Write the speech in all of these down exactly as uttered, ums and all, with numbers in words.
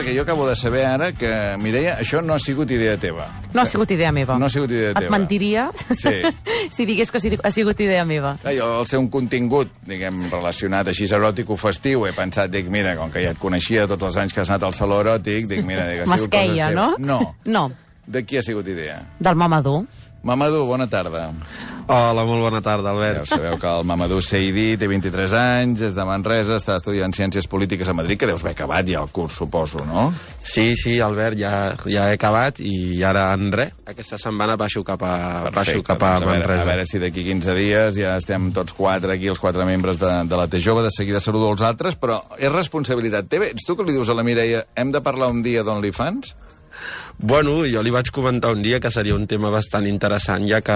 perquè jo acabo de saber ara que, Mireia, això no ha sigut idea teva. No ha sigut idea meva. No ha sigut idea teva. Et mentiria sí. si digués que ha sigut idea meva. Clar, jo, al ser un contingut, diguem, relacionat així eròtic o festiu, he pensat, dic, mira, com que ja et coneixia tots els anys que has anat al saló eròtic, dic, mira, dic, ha sigut cosa seva. no? No. No. De qui ha sigut idea? Del Mamadou. Mamadou, bona tarda. Hola, molt bona tarda, Albert. Ja sabeu que el Mamadou Seidi té vint-i-tres anys, és de Manresa, està estudiant Ciències Polítiques a Madrid, que deus haver acabat ja el curs, suposo, no? Sí, sí, Albert, ja, ja he acabat i ara en res. Aquesta setmana baixo cap a, Perfecte, baixo cap a doncs a Manresa. Veure, a veure si d'aquí quinze dies ja estem tots quatre aquí, els quatre membres de, de la T Jove, de seguida saludo els altres, però és responsabilitat teva. Ets tu que li dius a la Mireia, hem de parlar un dia d'OnlyFans? Bueno, jo li vaig comentar un dia que seria un tema bastant interessant, ja que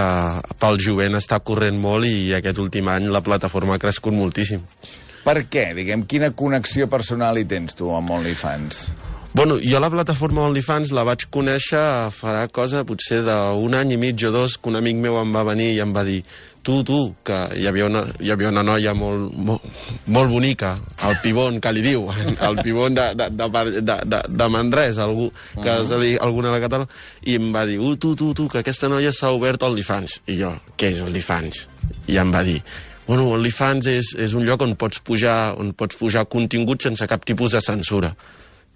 pel jovent està corrent molt i aquest últim any la plataforma ha crescut moltíssim. Per què? Diguem, quina connexió personal hi tens tu amb OnlyFans? Bueno, jo la plataforma OnlyFans la vaig conèixer farà cosa potser d'un any i mig o dos, que un amic meu em va venir i em va dir tu, tu, que hi havia una, hi havia una noia molt, molt, molt bonica, el Pibon, que li diu, el Pibon de, de, de, de, de Manresa, algú, que uh -huh. alguna de Catalunya, i em va dir, uh, tu, tu, tu, que aquesta noia s'ha obert OnlyFans. I jo, què és OnlyFans? I em va dir, bueno, OnlyFans és, és un lloc on pots pujar, on pots pujar contingut sense cap tipus de censura.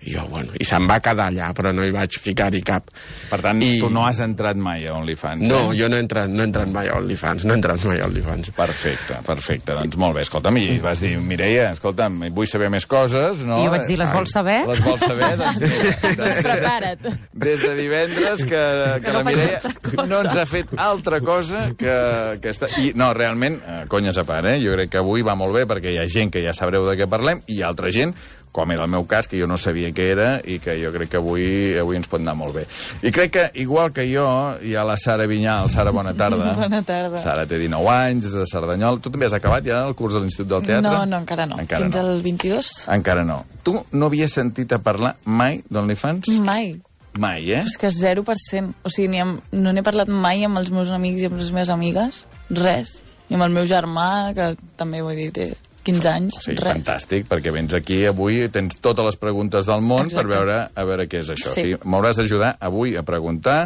I jo, bueno, i se'm va quedar allà, però no hi vaig ficar-hi cap. Per tant, I... tu no has entrat mai a OnlyFans, No, eh? jo no he entrat, no he entrat mai a OnlyFans, no he entrat mai a OnlyFans. Perfecte, perfecte, doncs molt bé. Escolta'm, i vas dir, Mireia, escolta'm, vull saber més coses, no? I jo vaig dir, les vols saber? Les vols saber? Doncs mira, doncs prepara't. Des de divendres que, que, que la Mireia no ens ha fet altra cosa que, que està... I, no, realment, conyes a part, eh? Jo crec que avui va molt bé perquè hi ha gent que ja sabreu de què parlem i hi ha altra gent, com era el meu cas, que jo no sabia què era i que jo crec que avui avui ens pot anar molt bé. I crec que, igual que jo, hi ha la Sara Vinyal. Sara, bona tarda. Bona tarda. Sara té dinou anys, és de Cerdanyol. Tu també has acabat ja el curs de l'Institut del Teatre? No, no, encara no. Encara Fins no. al vint-i-dos. Encara no. Tu no havies sentit a parlar mai d'OnlyFans? Mai. Mai, eh? És que zero per cent. O sigui, ni amb, no n'he parlat mai amb els meus amics i amb les meves amigues. Res. Ni amb el meu germà, que també, vull dir, té quinze anys, o sigui, res. fantàstic, perquè vens aquí avui, tens totes les preguntes del món. Exacte. Per veure a veure què és això. Sí. O sigui, m'hauràs d'ajudar avui a preguntar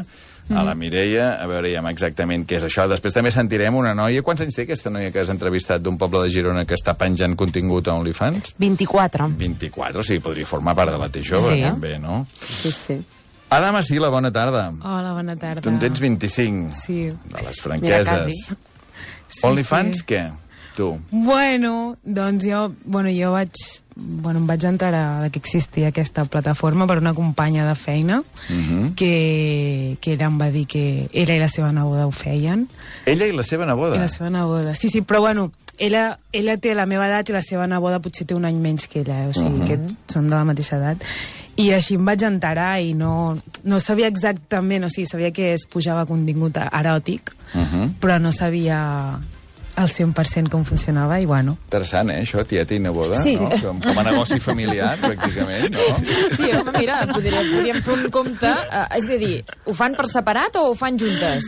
a la Mireia, a veure ja exactament què és això. Després també sentirem una noia. Quants anys té aquesta noia que has entrevistat d'un poble de Girona que està penjant contingut a OnlyFans? vint-i-quatre. vint-i-quatre, o sigui, podria formar part de la T Jove, sí. també, no? Sí, sí. Ada Masila, bona tarda. Hola, bona tarda. Tu en tens vint-i-cinc. Sí. De les franqueses. Mira, quasi. Sí, OnlyFans, sí. què? Tu. Bueno, doncs jo, bueno, jo vaig, bueno, em vaig entrar a que existia aquesta plataforma per una companya de feina Uh -huh. que, que ella em va dir que ella i la seva neboda ho feien. Ella i la seva neboda? I la seva neboda, sí, sí, però bueno, ella, ella té la meva edat i la seva neboda potser té un any menys que ella, o sigui, Uh-huh. que són de la mateixa edat. I així em vaig enterar i no, no sabia exactament, o sigui, sabia que es pujava contingut eròtic, Uh -huh. però no sabia al cent per cent com funcionava i bueno. Interessant, eh, això, tieta i neboda, Sí. no? Com, com a negoci familiar, pràcticament, no? Sí, home, mira, podríem, podríem fer un compte. Uh, és a dir, ho fan per separat o ho fan juntes?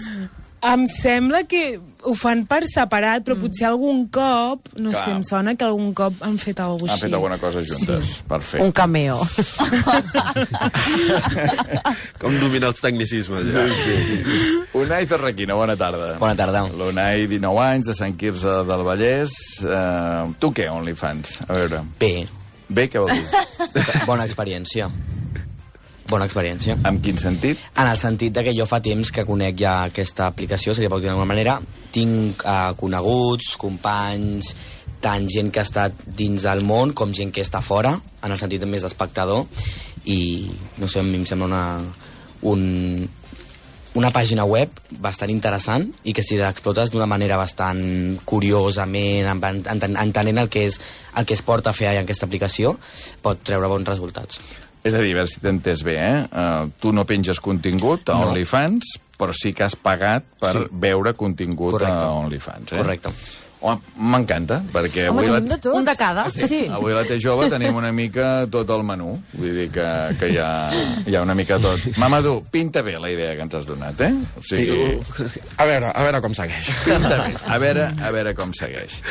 Em sembla que ho fan per separat, però mm. potser algun cop, no Clar. sé, em sona que algun cop han fet alguna cosa Han així. fet alguna cosa juntes. Sí. Perfecte. Un cameo. Com dominar els tecnicismes, ja. Sí, sí. Unai Zarraquina, bona tarda. Bona tarda. L'Unai, dinou anys, de Sant Quirze del Vallès. Uh, tu què, OnlyFans? A veure. Bé, Bé, què vol dir? bona experiència. Bona experiència. En quin sentit? En el sentit de que jo fa temps que conec ja aquesta aplicació, seria per dir d'alguna manera, tinc uh, coneguts, companys, tant gent que ha estat dins del món com gent que està fora, en el sentit més d'espectador, i no sé, a mi em sembla una, un, una pàgina web bastant interessant i que si l'explotes d'una manera bastant curiosament, enten, entenent el que, és, el que es porta a fer en aquesta aplicació, pot treure bons resultats. És a dir, a veure si t'he entès bé, eh? Uh, tu no penges contingut a No. OnlyFans, però sí que has pagat per Sí. veure contingut Correcte. a OnlyFans, eh? Correcte. Oh, m'encanta, perquè Home, avui la... tenim de tot. Un de cada. Sí. Avui a la T Jove tenim una mica tot el menú. Vull dir que, que hi, ha, hi ha una mica tot. Mamadou, pinta bé la idea que ens has donat, eh? O sigui, A veure, a veure com segueix. pinta bé. A veure, a veure com segueix.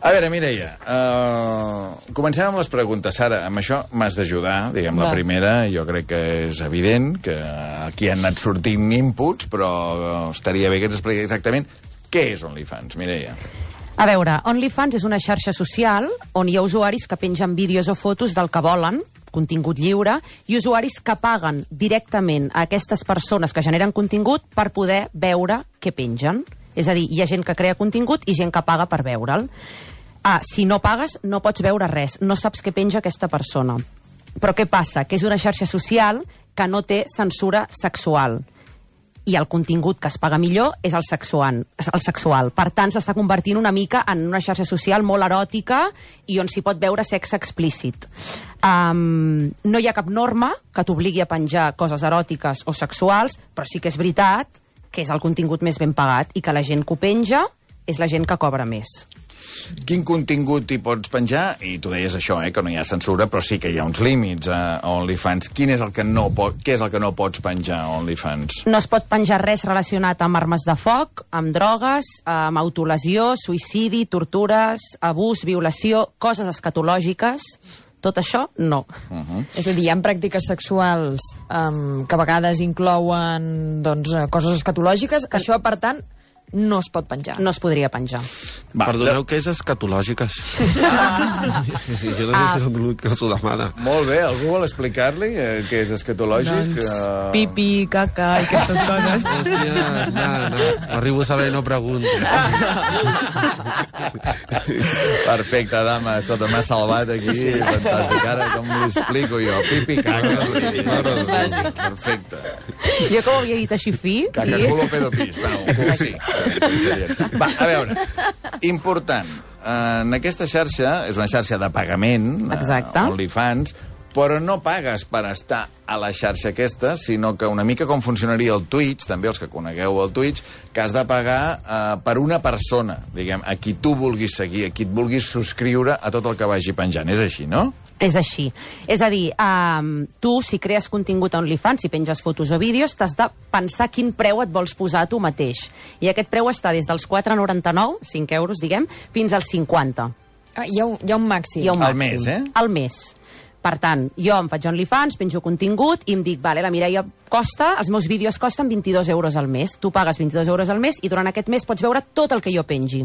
A veure, Mireia, uh, comencem amb les preguntes. Sara, amb això m'has d'ajudar, diguem, la Va. primera. Jo crec que és evident que aquí han anat sortint inputs, però estaria bé que ens expliqui exactament què és OnlyFans, Mireia. A veure, OnlyFans és una xarxa social on hi ha usuaris que pengen vídeos o fotos del que volen, contingut lliure, i usuaris que paguen directament a aquestes persones que generen contingut per poder veure què pengen. És a dir, hi ha gent que crea contingut i gent que paga per veure'l. Ah, si no pagues, no pots veure res, no saps què penja aquesta persona. Però què passa? Que és una xarxa social que no té censura sexual. I el contingut que es paga millor és el sexual. El sexual. Per tant, s'està convertint una mica en una xarxa social molt eròtica i on s'hi pot veure sexe explícit. Um, no hi ha cap norma que t'obligui a penjar coses eròtiques o sexuals, però sí que és veritat que és el contingut més ben pagat i que la gent que ho penja és la gent que cobra més. Quin contingut hi pots penjar? I tu deies això, eh, que no hi ha censura, però sí que hi ha uns límits a OnlyFans. Quin és el que no pot, què és el que no pots penjar a OnlyFans? No es pot penjar res relacionat amb armes de foc, amb drogues, amb autolesió, suïcidi, tortures, abús, violació, coses escatològiques. Tot això, no. Uh -huh. És a dir, hi ha pràctiques sexuals um, que a vegades inclouen doncs, coses escatològiques. Això, per tant, no es pot penjar. No es podria penjar. Va, Perdoneu, què és escatològiques? Ah. Jo no sé si és l'únic que s'ho demana. Molt bé, algú vol explicar-li eh, què és escatològic? Doncs, Uh... pipi, caca i aquestes coses. Hòstia, no, no. Arribo a saber i no pregunto. Perfecte, dama. Escolta, m'ha salvat aquí. Fantàstic. Ara, com m'ho explico jo? Pipi, caca. Perfecte. Jo que ho havia dit així fi... Caca, i- culo, pedo, pis. No, sí. Va, a veure, important. En aquesta xarxa, és una xarxa de pagament, Exacte. eh, OnlyFans, però no pagues per estar a la xarxa aquesta, sinó que una mica com funcionaria el Twitch, també els que conegueu el Twitch, que has de pagar eh, per una persona, diguem, a qui tu vulguis seguir, a qui et vulguis subscriure a tot el que vagi penjant. És així, no? És així. És a dir, um, tu, si crees contingut a OnlyFans, si penges fotos o vídeos, t'has de pensar quin preu et vols posar tu mateix. I aquest preu està des dels quatre coma noranta-nou, cinc euros, diguem, fins als cinquanta. Ah, hi, ha un, hi ha un màxim. Hi ha un Al màxim. mes, eh? Al mes. Per tant, jo em faig OnlyFans, penjo contingut i em dic, vale, la Mireia costa, els meus vídeos costen vint-i-dos euros al mes. Tu pagues vint-i-dos euros al mes i durant aquest mes pots veure tot el que jo pengi.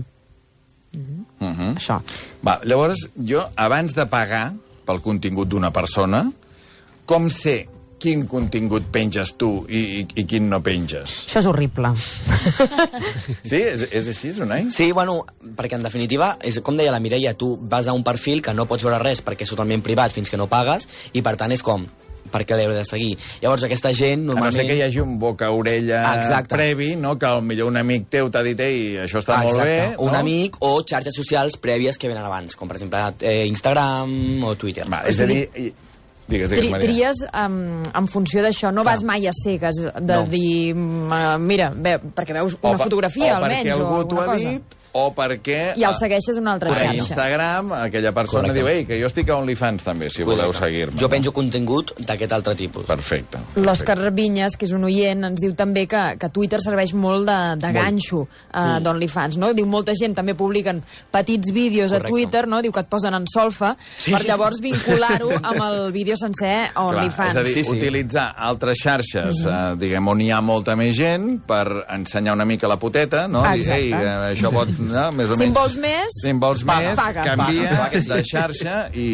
Uh -huh. Això. Va, llavors, jo, abans de pagar pel contingut d'una persona, com sé quin contingut penges tu i, i, i quin no penges? Això és horrible. Sí? És, és així, Unai? Sí, bueno, perquè en definitiva, és, com deia la Mireia, tu vas a un perfil que no pots veure res perquè és totalment privat fins que no pagues, i per tant és com, per què l'heu de seguir? Llavors aquesta gent A no normalment... ser que hi hagi un boca-orella Exacte. previ, no? Que potser un amic teu t'ha dit ei, això està Ah, molt bé. exacte. No? Un amic o xarxes socials prèvies que venen abans, com per exemple eh, Instagram o Twitter. Va, és a dir... i- Digues, digues, Tri, Maria. tries um, en funció d'això, no vas mai a cegues de No. dir, uh, mira, ve, perquè veus una O per- fotografia o almenys perquè algú o t'ho alguna ha cosa. dit, o perquè... I el segueixes a una altra per xarxa. Instagram, aquella persona Correcte. diu, ei, que jo estic a OnlyFans també, si voleu Correcte. seguir-me. Jo penjo contingut d'aquest altre tipus. Perfecte. L'Òscar Vinyes, que és un oient, ens diu també que, que Twitter serveix molt de, de ganxo uh, d'OnlyFans, no? Diu, molta gent també publiquen petits vídeos Correcte. a Twitter, no? Diu que et posen en solfa, sí. per llavors vincular-ho amb el vídeo sencer a Clar, OnlyFans. és a dir, Sí, sí. utilitzar altres xarxes, Mhm. eh, diguem, on hi ha molta més gent, per ensenyar una mica la puteta, no? Dir, Exacte. ei, eh, això pot... No? Més o Si en menys... vols més, Si en vols paga. més, Paga. canvia Paga, paga, sí. de xarxa i,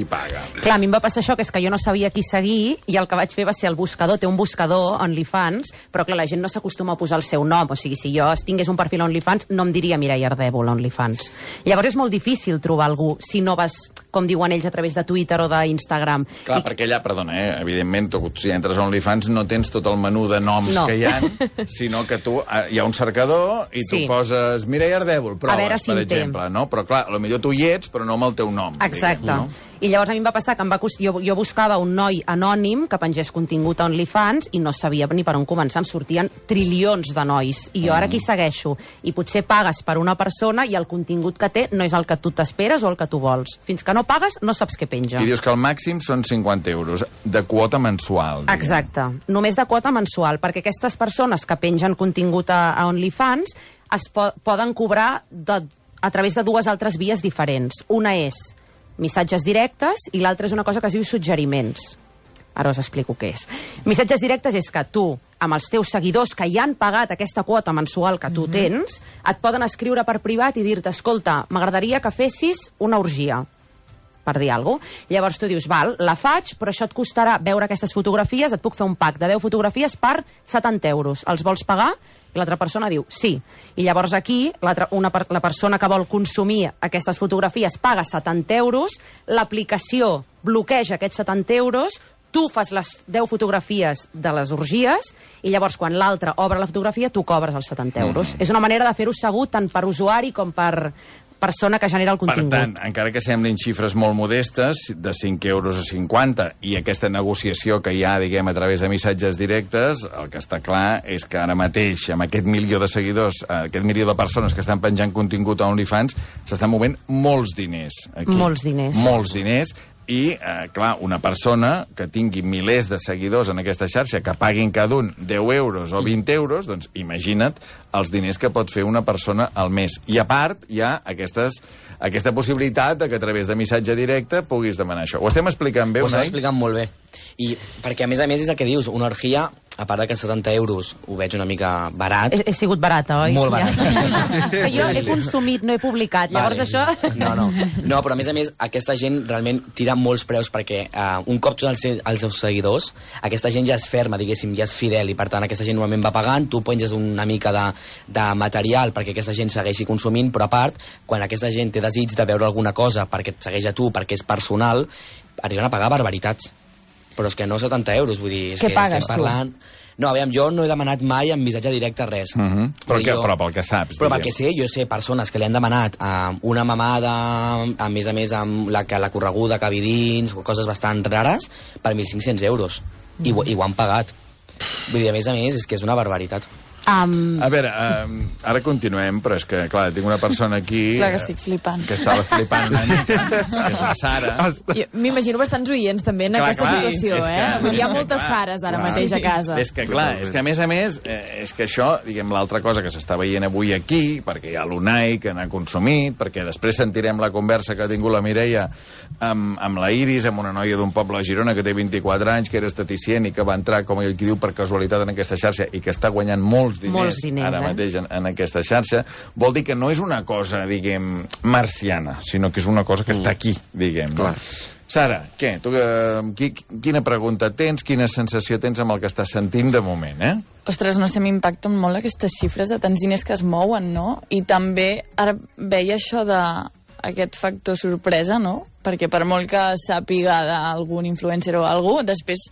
i paga. Clar, a mi em va passar això, que és que jo no sabia qui seguir i el que vaig fer va ser el buscador. Té un buscador, OnlyFans, però clar, la gent no s'acostuma a posar el seu nom. O sigui, si jo tingués un perfil OnlyFans, no em diria Mireia Ardèvol, OnlyFans. Llavors és molt difícil trobar algú si no vas, com diuen ells, a través de Twitter o d'Instagram. Clar, I- perquè allà, perdona, eh, evidentment, tu, si entres a OnlyFans no tens tot el menú de noms No. que hi ha, sinó que tu, eh, hi ha un cercador i tu Sí. poses Mireia Ardèvol, proves, A veure si per en té. exemple, no? Però clar, potser tu hi ets, però no amb el teu nom. Exacte. Diguem, no? I llavors a mi em va passar que em va cost... jo, jo buscava un noi anònim que pengés contingut a OnlyFans i no sabia ni per on començar. Em sortien trilions de nois. I jo ara aquí segueixo. I potser pagues per una persona i el contingut que té no és el que tu t'esperes o el que tu vols. Fins que no pagues, no saps què penja. I dius que el màxim són cinquanta euros de quota mensual. Diguem. Exacte. Només de quota mensual, perquè aquestes persones que pengen contingut a, a OnlyFans es po poden cobrar de a través de dues altres vies diferents. Una és missatges directes i l'altra és una cosa que es diu suggeriments. Ara us explico què és. Missatges directes és que tu, amb els teus seguidors que ja han pagat aquesta quota mensual que tu tens, et poden escriure per privat i dir-te, escolta, m'agradaria que fessis una orgia, per dir alguna cosa. Llavors tu dius, val, la faig, però això et costarà veure aquestes fotografies, et puc fer un pack de deu fotografies per setanta euros. Els vols pagar? I l'altra persona diu, sí. I llavors aquí, una, la persona que vol consumir aquestes fotografies paga setanta euros, l'aplicació bloqueja aquests setanta euros, tu fas les deu fotografies de les orgies i llavors quan l'altre obre la fotografia tu cobres els setanta euros. Mm. És una manera de fer-ho segur tant per usuari com per persona que genera el contingut. Per tant, encara que semblin xifres molt modestes, de cinc euros a cinquanta, i aquesta negociació que hi ha, diguem, a través de missatges directes, el que està clar és que ara mateix, amb aquest milió de seguidors, aquest milió de persones que estan penjant contingut a OnlyFans, s'estan movent molts diners. Aquí. Molts diners. Molts diners. I, eh, clar, una persona que tingui milers de seguidors en aquesta xarxa, que paguin cada un deu euros o vint euros, doncs imagina't els diners que pot fer una persona al mes. I a part, hi ha aquestes, aquesta possibilitat de que a través de missatge directe puguis demanar això. Ho estem explicant bé, Unai? Ho estem Unai? explicant molt bé. I perquè, a més a més, és el que dius, una orgia, a part de que setanta euros ho veig una mica barat. He, he sigut barata, oi? Molt barat. Ja. És que jo he consumit, no he publicat. Llavors vale. això... No, no. No, però a més a més, aquesta gent realment tira molts preus perquè uh, un cop tots els, els seus seguidors, aquesta gent ja és ferma, diguéssim, ja és fidel, i per tant aquesta gent normalment va pagant, tu penges una mica de, de material perquè aquesta gent segueixi consumint, però a part, quan aquesta gent té desig de veure alguna cosa perquè et segueix a tu, perquè és personal, arriben a pagar barbaritats. Però és que no setanta euros, vull dir... És Què que pagues, estem parlant... No, aviam, jo no he demanat mai en missatge directe res. Uh -huh. però, que, jo... però pel que saps. Però pel que sé, jo sé persones que li han demanat uh, una mamada, a més a més amb la, la correguda que vi dins, coses bastant rares, per mil cinc-cents euros. Mm. I, I ho han pagat. Vull dir, a més a més, és que és una barbaritat. Um... A veure, um, ara continuem, però és que, clar, tinc una persona aquí... Clar que estic flipant. Que estava flipant una mica, que és la Sara. Jo M'imagino bastants oients també en Clar, aquesta clar, situació, és que- eh? Vull dir, Hi ha és que, moltes clar, Sares ara clar. mateix a casa. És que, clar, és que a més a més, eh, és que això, diguem, l'altra cosa que s'està veient avui aquí, perquè hi ha l'Unai que n'ha consumit, perquè després sentirem la conversa que ha tingut la Mireia amb, amb la Iris, amb una noia d'un poble a Girona que té vint-i-quatre anys, que era esteticient i que va entrar, com ell qui diu, per casualitat en aquesta xarxa i que està guanyant molts diners, Molts diners ara eh? mateix en, en aquesta xarxa, vol dir que no és una cosa, diguem, marciana, sinó que és una cosa que està aquí, diguem. No? Sara, què? Tu, eh, qui, quina pregunta tens, quina sensació tens amb el que estàs sentint de moment, eh? Ostres, no sé, m'impacten molt aquestes xifres de tants diners que es mouen, no? I també ara veia això de aquest factor sorpresa, no? Perquè per molt que sàpiga d'algun influencer o algú, després,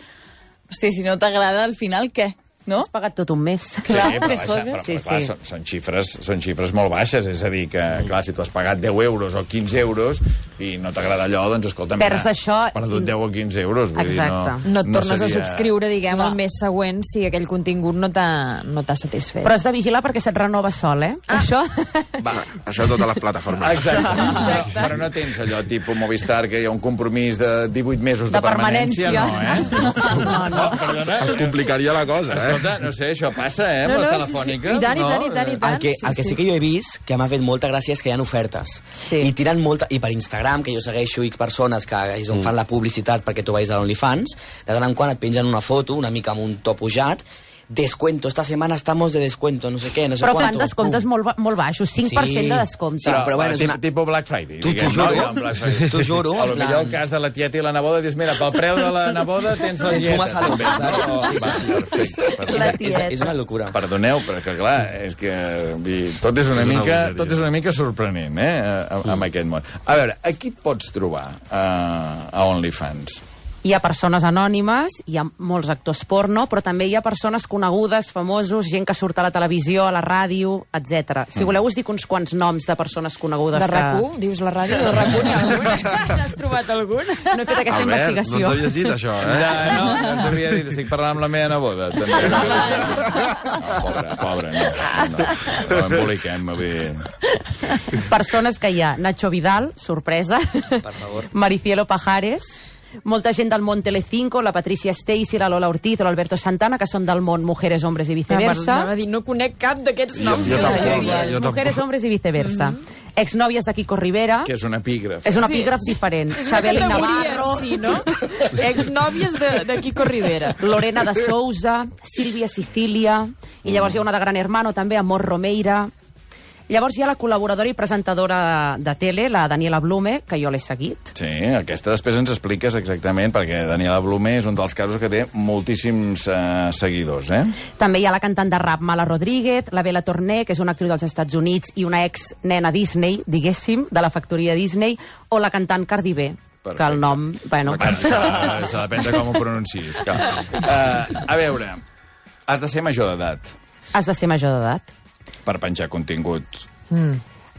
hosti, si no t'agrada, al final, què? No? Has pagat tot un mes. Clar, sí, però, te baixa, jodes. però, Sí, però clar, sí. són, són, xifres, són xifres molt baixes, és a dir, que clar, si tu has pagat deu euros o quinze euros i no t'agrada allò, doncs escolta, Perds mira, això has perdut i- deu o quinze euros. Vull Exacte. Dir, No et tornes seria... a subscriure, diguem, Clar. el mes següent si aquell contingut no t'ha no t'ha satisfet. Però has de vigilar perquè se't renova sol, eh? Ah. Això... Va, Això a totes les plataformes. exacte. Però, però no tens allò tipus Movistar, que hi ha un compromís de divuit mesos de, De permanència. no, eh? No, no. Perdona. Es complicaria la cosa, eh? Escolta, no sé, això passa, eh, amb No, les no, telefòniques. sí, sí. I tant, i no? tant, i tant, i tant. El que, sí, el que sí, sí. que jo he vist, que m'ha fet molta gràcia, és que hi ha ofertes. Sí. I tiren molta... I per Instagram, que jo segueixo X persones que és on fan la publicitat perquè tu vagis a l'OnlyFans, de tant en quant et pengen una foto, una mica amb un to pujat, descuento, esta semana estamos de descuento, no sé què, no sé Però quanto. fan descomptes Pum. molt, ba- molt baixos, cinc per cent Sí. de descompte. Sí, però bueno, és tip- una- tipus Black Friday. Tu- diguem, t'ho juro. no? Ja, un Black Friday. T'ho juro, A lo en plan- millor el cas de la tieta i la neboda, dius, mira, pel preu de la neboda tens la Tens tieta. una salut, també, no? saps? Va, perfecte, perfecte. La És, tieta. és una locura. Perdoneu, però que clar, és que vull, tot, és una És una mica, bogeria. tot és una mica sorprenent, eh, a- amb aquest món. A veure, a qui et pots trobar a, a OnlyFans? Hi ha persones anònimes, hi ha molts actors porno, però també hi ha persones conegudes, famosos, gent que surt a la televisió, a la ràdio, etcètera. Si voleu us dic uns quants noms de persones conegudes De que... RAC u? Dius la ràdio? De RAC u n'hi ha algun? N'has trobat algun? No he fet aquesta Albert, no investigació. ens havies dit això, eh? Ja, no, no ens havia dit, estic parlant amb la meva neboda. També. No, pobre, pobre, no. No, no emboliquem, vull dir... Persones que hi ha. Nacho Vidal, sorpresa. Per favor. Maricielo Pajares. Molta gent del món Telecinco, la Patricia Stacy, la Lola Ortiz o l'Alberto Santana, que són del món Mujeres, Hombres i Viceversa. Anava a dir, no conec cap d'aquests Jo- noms. jo que tampoc, hi ha. eh? Jo tampoc. Mujeres, Hombres i Viceversa. exnòvies de Kiko Rivera. Que és un epígraf. És un epígraf sí. diferent. És una Xabel categoria, Navarro. sí, no? Exnòvies de, de Kiko Rivera. Lorena de Sousa, Sílvia Sicilia, i llavors hi ha una de Gran Hermano també, Amor Romeira. Llavors hi ha la col·laboradora i presentadora de tele, la Daniela Blume, que jo l'he seguit. Sí, aquesta després ens expliques exactament, perquè Daniela Blume és un dels casos que té moltíssims eh, seguidors, eh? També hi ha la cantant de rap Mala Rodríguez, la Bella Torné, que és una actriu dels Estats Units i una ex-nena Disney, diguéssim, de la factoria Disney, o la cantant Cardi B, Perfecte. que el nom... Bueno, Això depèn de com ho pronuncis. Uh, a veure, has de ser major d'edat. Has de ser major d'edat. Per penjar contingut. Mm.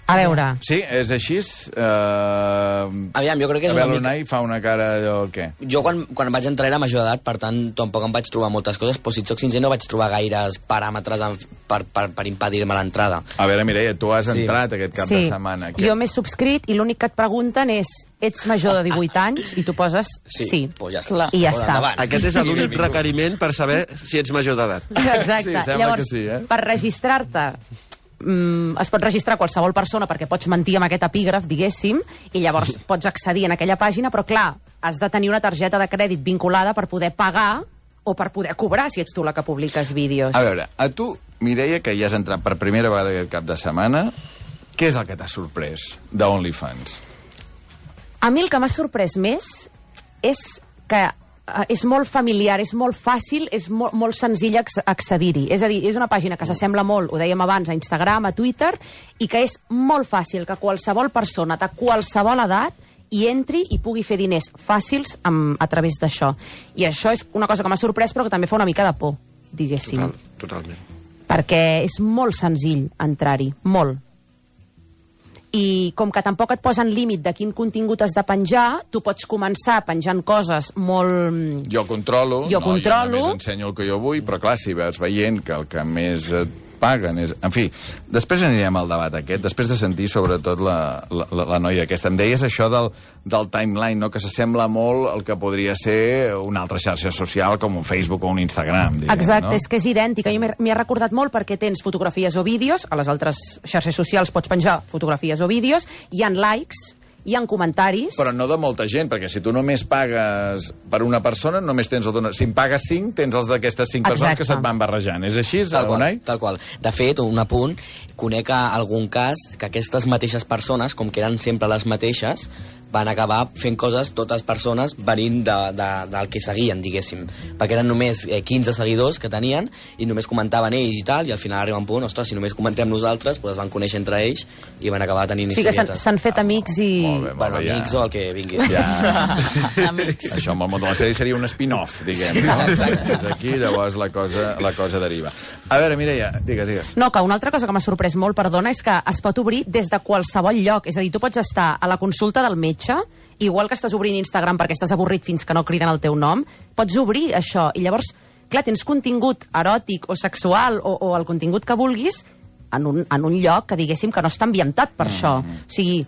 A veure... Sí, és així? Uh... Aviam, jo crec que és una mica... l'Unai fa una cara allò... Què? Jo quan, quan vaig entrar era major d'edat, per tant, tampoc em vaig trobar moltes coses, però si et soc sincer no vaig trobar gaires paràmetres en, per, per, per impedir-me l'entrada. A veure, Mireia, tu has Sí. entrat aquest cap sí. de setmana. Jo m'he subscrit i l'únic que et pregunten és ets major de divuit anys i tu poses sí. sí. Pues ja està. I ja Pues està. endavant. Aquest és l'únic requeriment per saber si ets major d'edat. Exacte. Sí, sembla Llavors, que sí, eh? per registrar-te mm, es pot registrar qualsevol persona perquè pots mentir amb aquest epígraf, diguéssim, i llavors pots accedir en aquella pàgina, però clar, has de tenir una targeta de crèdit vinculada per poder pagar o per poder cobrar si ets tu la que publiques vídeos. A veure, a tu, Mireia, que ja has entrat per primera vegada aquest cap de setmana, què és el que t'ha sorprès d'OnlyFans? A mi el que m'ha sorprès més és que eh, és molt familiar, és molt fàcil, és molt, molt senzill acc- accedir-hi. És a dir, és una pàgina que s'assembla molt, ho dèiem abans, a Instagram, a Twitter, i que és molt fàcil que qualsevol persona de qualsevol edat hi entri i pugui fer diners fàcils amb, a través d'això. I això és una cosa que m'ha sorprès, però que també fa una mica de por, diguéssim. Total, totalment. Perquè és molt senzill entrar-hi, molt. I com que tampoc et posen límit de quin contingut has de penjar, tu pots començar penjant coses molt... Jo controlo, Jo no, controlo. jo només ensenyo el que jo vull, però clar, si veus veient que el que més et paguen és... En fi, després anirem al debat aquest, després de sentir sobretot la, la, la noia aquesta. Em deies això del, del timeline, no? Que s'assembla molt al que podria ser una altra xarxa social com un Facebook o un Instagram, diguem, Exacte, no? és que és idèntica. Jo m'he m'hi ha recordat molt perquè tens fotografies o vídeos, a les altres xarxes socials pots penjar fotografies o vídeos, hi han likes, hi ha comentaris... Però no de molta gent, perquè si tu només pagues per una persona, només tens el donar... Si en pagues cinc, tens els d'aquestes cinc persones Exacte. que se't van barrejant. És així, Tal qual, Unai? tal qual. De fet, un apunt, conec algun cas que aquestes mateixes persones, com que eren sempre les mateixes, van acabar fent coses, totes persones, venint de, de, del que seguien, diguéssim. Perquè eren només eh, quinze seguidors que tenien i només comentaven ells i tal, i al final arriba un punt, ostres, si només comentem nosaltres, doncs es van conèixer entre ells i van acabar tenint O sigui que s'han- historietes. s'han fet amics i... Molt bé, molt Bueno, bé, ja. amics o el que vinguis. Ja. Amics. Això amb el món de la sèrie seria un spin-off, diguem, no? Des d'aquí, llavors, la cosa, la cosa deriva. A veure, Mireia, digues, digues. No, que una altra cosa que m'ha sorprès molt, perdona, és que es pot obrir des de qualsevol lloc. És a dir, tu pots estar a la consulta del metge, igual que estàs obrint Instagram perquè estàs avorrit fins que no criden el teu nom, pots obrir això. I llavors, clar, tens contingut eròtic o sexual o, o el contingut que vulguis en un, en un lloc que diguéssim que no està ambientat per mm. això. O sigui,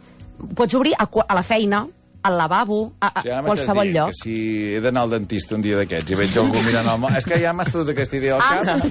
pots obrir a, qua- a la feina, al lavabo, a, a Sí, ara m'estàs qualsevol dient lloc. que si he d'anar al dentista un dia d'aquests i veig algú mirant el mòbil... És que ja m'has fotut aquesta idea al cap,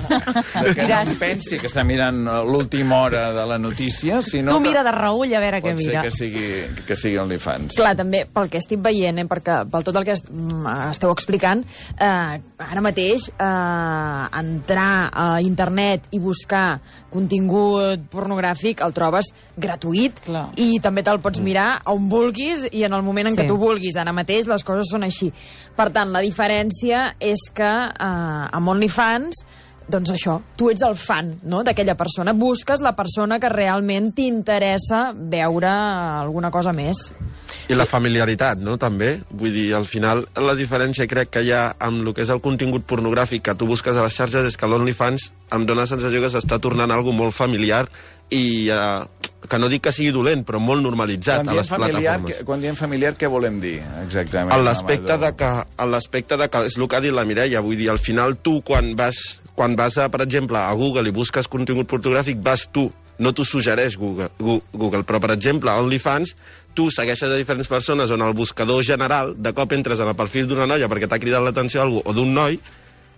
de que no em pensi que està mirant l'última hora de la notícia, sinó Tu que mira de reull a veure què pot ser mira. que sigui, que sigui OnlyFans. Clar, també, pel que estic veient, eh, perquè pel tot el que est mm, esteu explicant, eh, ara mateix eh, entrar a internet i buscar contingut pornogràfic el trobes gratuït. Clar. I també te'l pots mirar on vulguis i en el moment en Sí. què tu vulguis. Ara mateix les coses són així. Per tant, la diferència és que eh, amb OnlyFans doncs això, tu ets el fan, no?, d'aquella persona. Busques la persona que realment t'interessa veure alguna cosa més. I la familiaritat, no?, també. Vull dir, al final, la diferència crec que hi ha amb el que és el contingut pornogràfic que tu busques a les xarxes és que l'OnlyFans em dóna la sensació que s'està tornant algo molt familiar i eh, que no dic que sigui dolent, però molt normalitzat Quan a diem, les familiar, plataformes. que, quan diem familiar, què volem dir, exactament? En l'aspecte Amador? de que, en l'aspecte de que és el que ha dit la Mireia, vull dir, al final tu quan vas, quan vas a, per exemple, a Google i busques contingut pornogràfic, vas tu, no t'ho suggereix Google, Gu- Google, però per exemple, a OnlyFans, tu segueixes a diferents persones on el buscador general, de cop entres en el perfil d'una noia perquè t'ha cridat l'atenció a algú o d'un noi,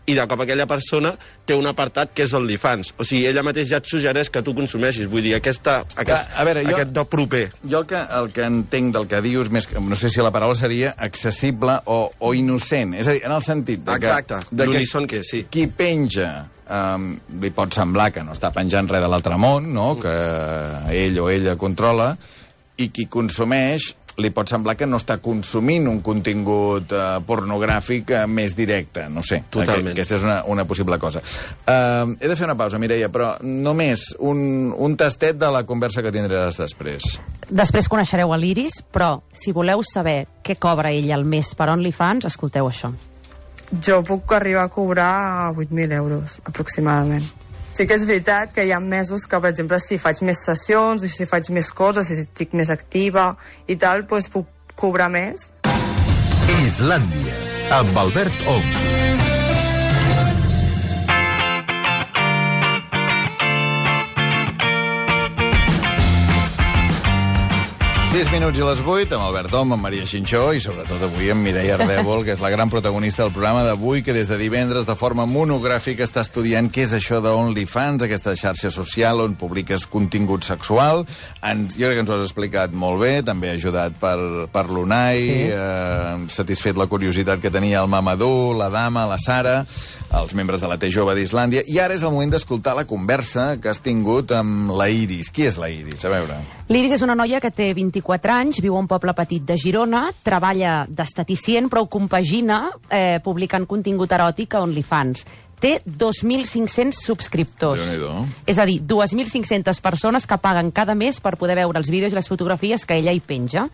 i de cop aquella persona té un apartat que és OnlyFans. O sigui, ella mateix ja et suggereix que tu consumeixis. Vull dir, aquesta, aquest, a veure, jo, aquest do proper. Jo el que, el que entenc del que dius, més, no sé si la paraula seria accessible o, o innocent. És a dir, en el sentit de que... Exacte, l'unison que sí. Qui penja... Um, li pot semblar que no està penjant res de l'altre món, no? Que ell o ella controla, i qui consumeix li pot semblar que no està consumint un contingut uh, pornogràfic uh, més directe, no sé. Totalment. Aquesta és una, una possible cosa. Uh, he de fer una pausa, Mireia, però només un, un tastet de la conversa que tindràs després. Després coneixereu a l'Iris, però si voleu saber què cobra ella al mes per OnlyFans, escolteu això. Jo puc arribar a cobrar vuit mil euros, aproximadament. Sí que és veritat que hi ha mesos que, per exemple, si faig més sessions, o si faig més coses, si estic més activa i tal, doncs puc cobrar més. Islàndia, amb Albert Ong. sis minuts i les vuit, amb Albert Om, amb Maria Xinxó i sobretot avui amb Mireia Ardèvol, que és la gran protagonista del programa d'avui, que des de divendres de forma monogràfica està estudiant què és això d'OnlyFans, aquesta xarxa social on publiques contingut sexual. Ens, jo crec que ens ho has explicat molt bé, també ajudat per, per l'Unai, sí. eh, satisfet la curiositat que tenia el Mamadou, la Dama, la Sara, els membres de la T Jove d'Islàndia. I ara és el moment d'escoltar la conversa que has tingut amb la Iris. Qui és la Iris? A veure... L'Iris és una noia que té vint-i-quatre anys, viu a un poble petit de Girona, treballa d'esteticient, però ho compagina eh, publicant contingut eròtic a OnlyFans. Té dos mil cinc-cents subscriptors. Déu-n'hi-do. És a dir, dos mil cinc-centes persones que paguen cada mes per poder veure els vídeos i les fotografies que ella hi penja.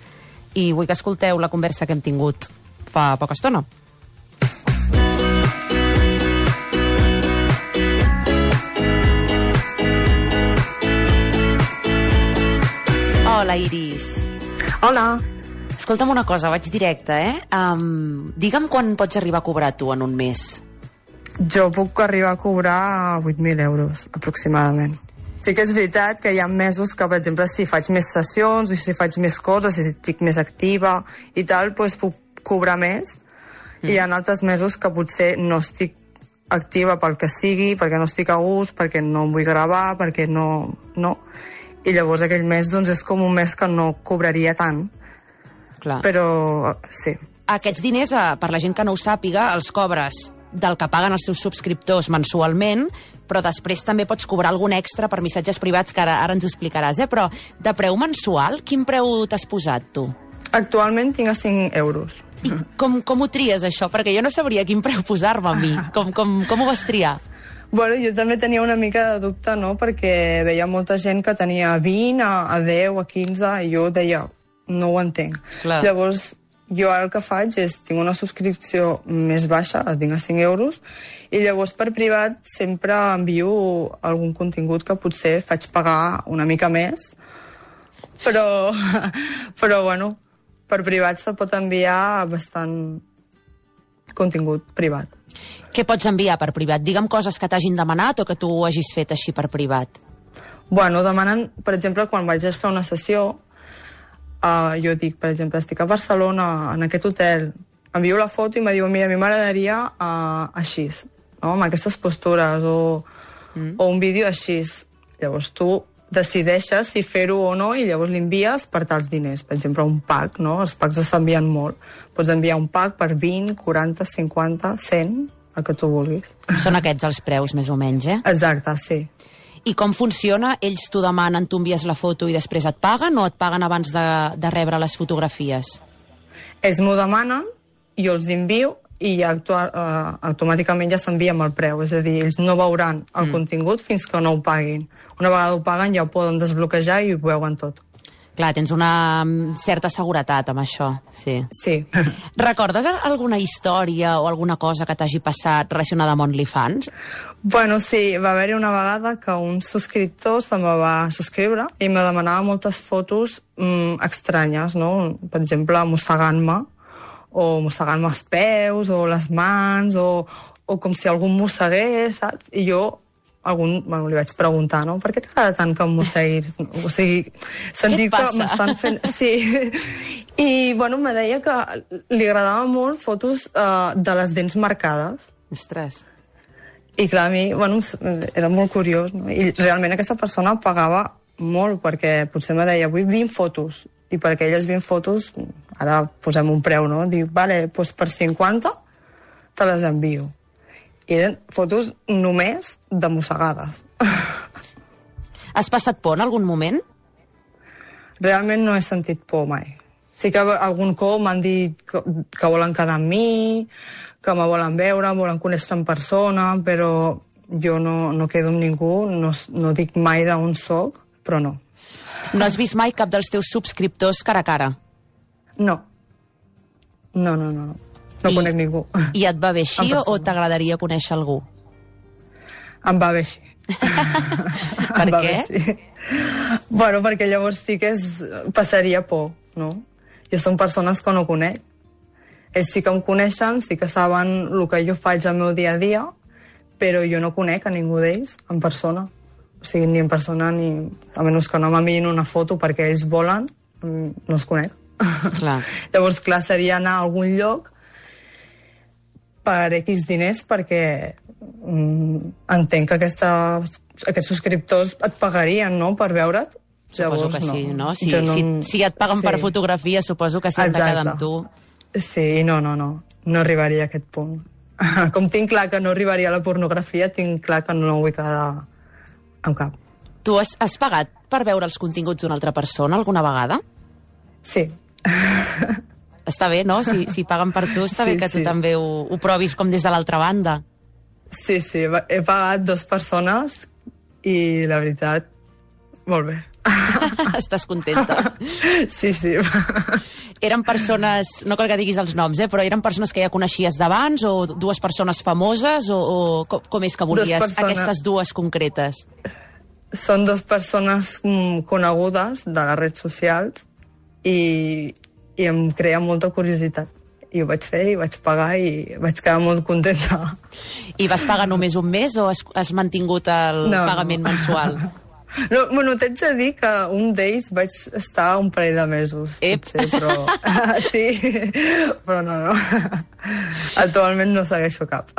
I vull que escolteu la conversa que hem tingut fa poca estona. Hola, Iris. Hola. Escolta'm una cosa, vaig directe, eh? Um, digue'm quan pots arribar a cobrar tu en un mes. Jo puc arribar a cobrar vuit mil euros, aproximadament. Sí que és veritat que hi ha mesos que, per exemple, si faig més sessions, o si faig més coses, si estic més activa i tal, doncs puc cobrar més. Mm. I hi ha altres mesos que potser no estic activa pel que sigui, perquè no estic a gust, perquè no em vull gravar, perquè no... no. I llavors aquell mes doncs, és com un mes que no cobraria tant. Clar. Però sí. Aquests diners, per la gent que no ho sàpiga, els cobres del que paguen els teus subscriptors mensualment, però després també pots cobrar algun extra per missatges privats, que ara, ara ens ho explicaràs, eh? Però de preu mensual, quin preu t'has posat, tu? Actualment tinc a cinc euros. I com, com ho tries, això? Perquè jo no sabria quin preu posar-me a mi. Com, com, com ho vas triar? Bueno, jo també tenia una mica de dubte, no?, perquè veia molta gent que tenia vint, a, a deu, a quinze, i jo deia, no ho entenc. Clar. Llavors, jo ara el que faig és, tinc una subscripció més baixa, la tinc a cinc euros, i llavors per privat sempre envio algun contingut que potser faig pagar una mica més, però, però bueno, per privat se pot enviar bastant contingut privat. Què pots enviar per privat? Digue'm coses que t'hagin demanat o que tu ho hagis fet així per privat. Bueno, demanen, per exemple, quan vaig a fer una sessió, uh, jo dic, per exemple, estic a Barcelona, en aquest hotel, envio la foto i me diu, mira, a mi m'agradaria uh, així, no?, amb aquestes postures, o, mm. o un vídeo així. Llavors tu decideixes si fer-ho o no i llavors l'envies per tals diners. Per exemple, un pack, no? Els packs s'envien molt. Pots enviar un pack per vint, quaranta, cinquanta, cent, el que tu vulguis. Són aquests els preus, més o menys, eh? Exacte, sí. I com funciona? Ells t'ho demanen, tu envies la foto i després et paguen, o et paguen abans de, de rebre les fotografies? Ells m'ho demanen, jo els envio i ja actual, uh, automàticament ja s'envia amb el preu. És a dir, ells no veuran el mm. contingut fins que no ho paguin. Una vegada ho paguen ja ho poden desbloquejar i ho veuen tot. Clar, tens una certa seguretat amb això, sí. Sí. Recordes alguna història o alguna cosa que t'hagi passat relacionada amb OnlyFans? Bueno, sí, va haver-hi una vegada que un subscriptor se me va subscriure i me demanava moltes fotos mm, estranyes, no? Per exemple, mossegant-me, o mossegant-me els peus, o les mans, o, o com si algú em mossegués, saps? I jo algun, bueno, li vaig preguntar, no? Per què t'agrada tant que em mosseguis? O sigui, sentir que m'estan fent... Sí. I, bueno, me deia que li agradava molt fotos uh, de les dents marcades. Ostres. I clar, a mi, bueno, era molt curiós, no? I realment aquesta persona pagava molt, perquè potser me deia, vull vint fotos, i per aquelles vint fotos, ara posem un preu, no? Dic, vale, doncs per cinquanta te les envio. I eren fotos només de mossegades. Has passat por en algun moment? Realment no he sentit por mai. Sí que algun cop m'han dit que, que volen quedar amb mi, que me volen veure, volen conèixer en persona, però jo no, no quedo amb ningú, no, no dic mai d'on soc, però no. No has vist mai cap dels teus subscriptors cara a cara? No. No, no, no. No I, conec ningú. I et va bé així o t'agradaria conèixer algú? Em va bé així. Per què? Sí. Bueno, perquè llavors sí que es, passaria por, no? Jo són persones que no conec. Ells sí que em coneixen, sí que saben el que jo faig al meu dia a dia, però jo no conec a ningú d'ells en persona. O sigui, ni en persona ni... A menys que no m'enviïn una foto perquè ells volen, no els conec. Clar. Llavors, clar, seria anar a algun lloc per X diners perquè mm, entenc que aquesta, aquests subscriptors et pagarien, no?, per veure't. Suposo Llavors, que sí, no? no? Si, no... si, si et paguen sí. per fotografia, suposo que s'hi han de quedar amb tu. Sí, no, no, no. No arribaria a aquest punt. Com tinc clar que no arribaria a la pornografia, tinc clar que no vull quedar amb cap. Tu has, has pagat per veure els continguts d'una altra persona alguna vegada? Sí. Està bé, no? Si, si paguen per tu, està sí, bé que tu sí. també ho, ho provis com des de l'altra banda. Sí, sí. He pagat dues persones i la veritat, molt bé. Estàs contenta? Sí, sí. Eren persones, no cal que diguis els noms, eh, però eren persones que ja coneixies d'abans o dues persones famoses o, o com, com és que volies aquestes dues concretes? Són dues persones conegudes de les redes socials i, i em crea molta curiositat. I ho vaig fer, i vaig pagar i vaig quedar molt contenta. I vas pagar només un mes o has, has mantingut el no, pagament no. mensual? No, bueno, t'haig de dir que un d'ells vaig estar un parell de mesos, potser, però... sí, però no, no. Actualment no segueixo cap.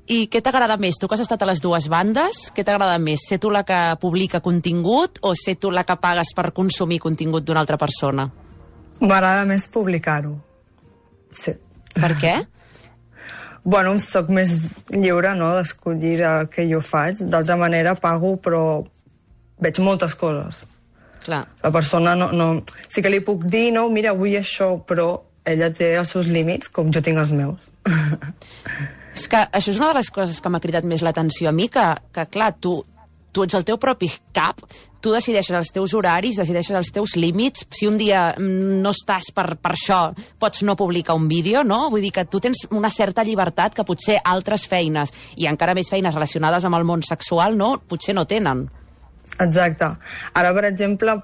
I què t'agrada més? Tu que has estat a les dues bandes, què t'agrada més? Ser tu la que publica contingut o ser tu la que pagues per consumir contingut d'una altra persona? M'agrada més publicar-ho. Sí. Per què? Bueno, soc més lliure, no?, d'escollir el que jo faig. D'altra manera, pago, però veig moltes coses. Clar. La persona no, no... Sí que li puc dir, no, mira, vull això, però ella té els seus límits, com jo tinc els meus. És que això és una de les coses que m'ha cridat més l'atenció a mi, que, que clar, tu, tu ets el teu propi cap, tu decideixes els teus horaris, decideixes els teus límits, si un dia no estàs per, per això, pots no publicar un vídeo, no? Vull dir que tu tens una certa llibertat que potser altres feines, i encara més feines relacionades amb el món sexual, no? Potser no tenen. Exacte. Ara, per exemple,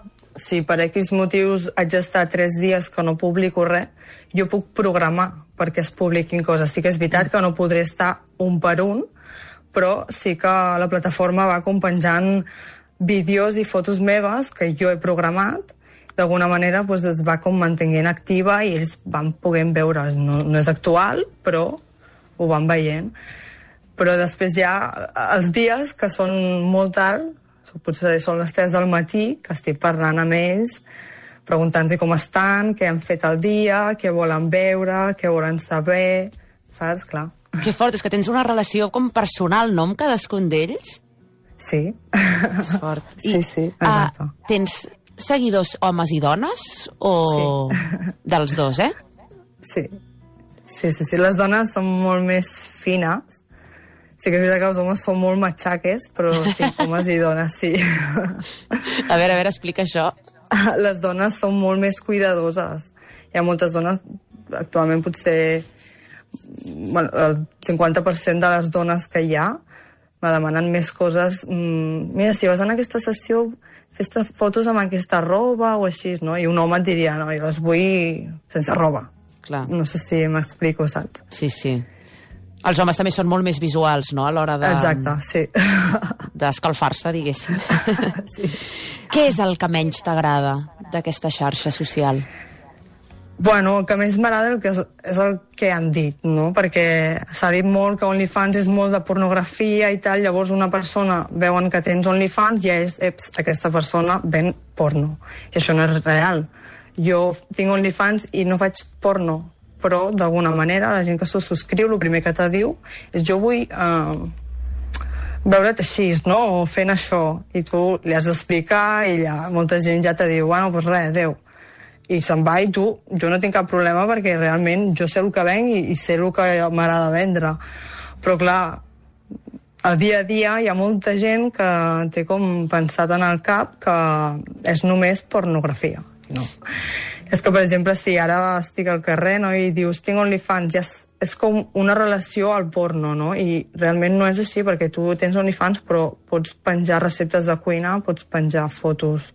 si per X motius haig d'estar tres dies que no publico res, jo puc programar perquè es publiquin coses. Sí que és veritat que no podré estar un per un, però sí que la plataforma va compenjant vídeos i fotos meves que jo he programat. D'alguna manera doncs, es va com mantenint activa i ells van poder veure. No, no és actual, però ho van veient. Però després hi ha els dies que són molt tard, potser són les tres del matí, que estic parlant amb ells, preguntant-los com estan, què han fet el dia, què volen veure, què volen saber, saps? Clar. Que fort, és que tens una relació com personal, no?, amb cadascun d'ells? Sí. És fort. Sí, I, sí, exacte. Uh, tens seguidors homes i dones? O sí. Dels dos, eh? Sí. Sí, sí, sí. Les dones són molt més fines. Sí que és veritat que els homes són molt matxaques, però sí, homes i dones, sí. A veure, a veure, explica això. Les dones són molt més cuidadoses. Hi ha moltes dones, actualment potser bueno, el cinquanta per cent de les dones que hi ha me demanen més coses. Mira, si vas en aquesta sessió, fes fotos amb aquesta roba o així, no? I un home et diria, no, jo les vull sense roba. Clar. No sé si m'explico, saps? Sí, sí. Els homes també són molt més visuals, no?, a l'hora de... Exacte, sí. D'escalfar-se, diguéssim. Sí. Què és el que menys t'agrada d'aquesta xarxa social? Bueno, el que més m'agrada és, és el que han dit, no? Perquè s'ha dit molt que OnlyFans és molt de pornografia i tal, llavors una persona veuen que tens OnlyFans i ja és, eps, aquesta persona ven porno. I això no és real. Jo tinc OnlyFans i no faig porno, però d'alguna manera la gent que s'ho subscriu, el primer que te diu és jo vull eh, veure't així, no? O fent això. I tu li has d'explicar i ja, molta gent ja te diu, bueno, doncs res, adéu. I se'n va i tu, jo no tinc cap problema perquè realment jo sé el que venc i, i sé el que m'agrada vendre. Però clar, al dia a dia hi ha molta gent que té com pensat en el cap que és només pornografia. No. És que, per exemple, si ara estic al carrer, no, i dius tinc OnlyFans, ja és, és com una relació al porno, no? I realment no és així, perquè tu tens OnlyFans però pots penjar receptes de cuina, pots penjar fotos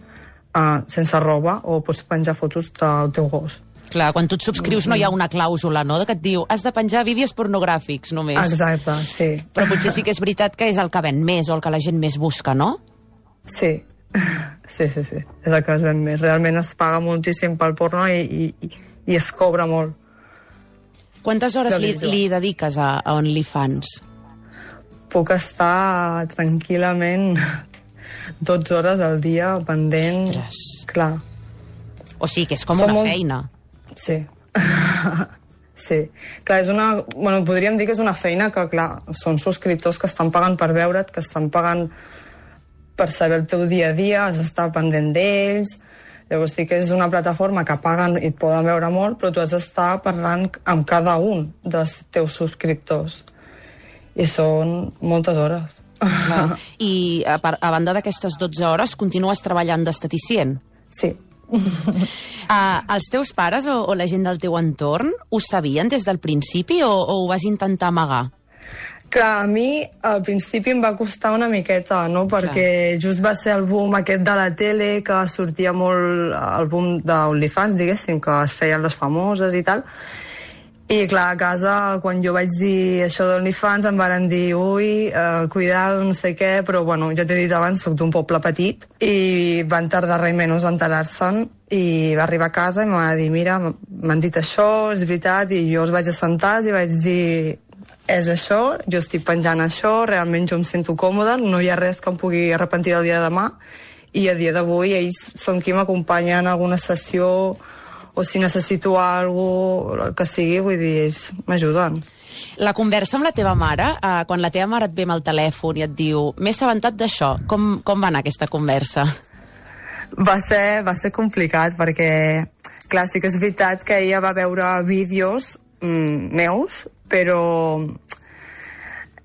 Uh, sense roba, o pots penjar fotos del teu gos. Clar, quan tu et subscrius no hi ha una clàusula, no?, que et diu has de penjar vídeos pornogràfics, només. Exacte, sí. Però potser sí que és veritat que és el que ven més o el que la gent més busca, no? Sí, sí, sí, sí. És el que es ven més. Realment es paga moltíssim pel porno i, i, i es cobra molt. Quantes hores li, li dediques a, a OnlyFans? Puc estar tranquil·lament dotze hores al dia pendent. Ostres. Clar. O sigui que és com Som una molt... feina. Sí. Sí. Clar, és una... Bueno, podríem dir que és una feina que, clar, són subscriptors que estan pagant per veure't, que estan pagant per saber el teu dia a dia, has d'estar pendent d'ells. Llavors sí que és una plataforma que paguen i et poden veure molt, però tu has d'estar parlant amb cada un dels teus subscriptors. I són moltes hores. Clar. I a, a banda d'aquestes dotze hores, continues treballant d'esteticient? Sí. uh, els teus pares o, o la gent del teu entorn ho sabien des del principi o, o ho vas intentar amagar? Que a mi al principi em va costar una miqueta, no? Perquè Clar. just va ser el boom aquest de la tele, que sortia molt el boom d'OnlyFans, diguéssim, que es feien les famoses i tal. I clar, a casa, quan jo vaig dir això d'OnlyFans, em van dir, ui, eh, cuidado, no sé què, però bueno, ja t'he dit abans, soc d'un poble petit, i van tardar res menys a enterar-se'n, i va arribar a casa i em va dir, mira, m'han dit això, és veritat, i jo els vaig assentar i vaig dir, és això, jo estic penjant això, realment jo em sento còmoda, no hi ha res que em pugui arrepentir del dia de demà, i a dia d'avui ells són qui m'acompanyen en alguna sessió, o si necessito alguna cosa, que sigui, vull dir, ells m'ajuden. La conversa amb la teva mare, eh, quan la teva mare et ve amb el telèfon i et diu m'he assabentat d'això, com, com va anar aquesta conversa? Va ser, va ser complicat, perquè, clar, sí que és veritat que ella va veure vídeos mm, meus, però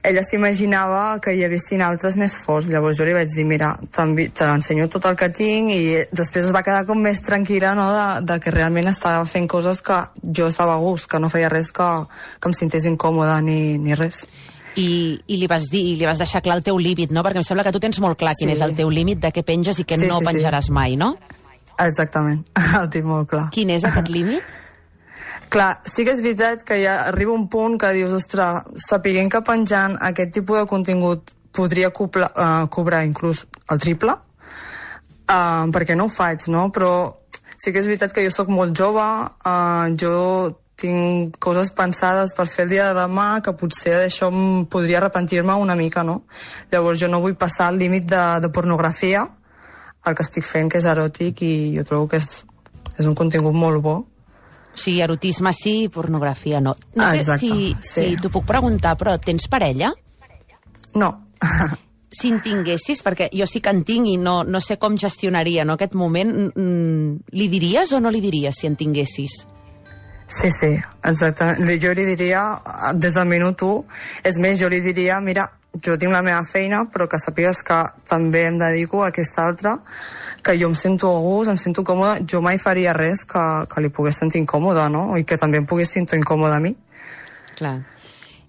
ella s'imaginava que hi haguessin altres més forts. Llavors jo li vaig dir, mira, t'ensenyo tot el que tinc, i després es va quedar com més tranquil·la, no?, de, de que realment estava fent coses que jo estava a gust, que no feia res que, que em sentés incòmoda ni, ni res. I, i li vas dir, li vas deixar clar el teu límit, no? Perquè em sembla que tu tens molt clar quin sí. és el teu límit de què penges i què sí, no sí, penjaràs sí. mai, no? Exactament, el tinc molt clar. Quin és aquest límit? Clar, sí que és veritat que ja arriba un punt que dius, ostres, sapiguem que penjant aquest tipus de contingut podria cobrar, uh, cobrar inclús el triple, uh, perquè no ho faig, no? Però sí que és veritat que jo sóc molt jove, uh, jo tinc coses pensades per fer el dia de demà, que potser d'això podria arrepentir-me una mica, no? Llavors jo no vull passar el límit de, de pornografia, el que estic fent, que és eròtic, i jo trobo que és, és un contingut molt bo. Sí, erotisme sí, pornografia no. No ah, sé exacte, si, sí. si t'ho puc preguntar, però tens parella? No. Si en tinguessis, perquè jo sí que en tinc i no, no sé com gestionaria, no, aquest moment, mm, li diries o no li diries si en tinguessis? Sí, sí, exactament. Jo li diria, des del minut u, és més, jo li diria, mira, jo tinc la meva feina, però que sàpigues que també em dedico a aquesta altra, que jo em sento a gust, em sento còmoda, jo mai faria res que, que li pogués sentir incòmoda, no? I que també em pogués sentir incòmoda a mi. Clar.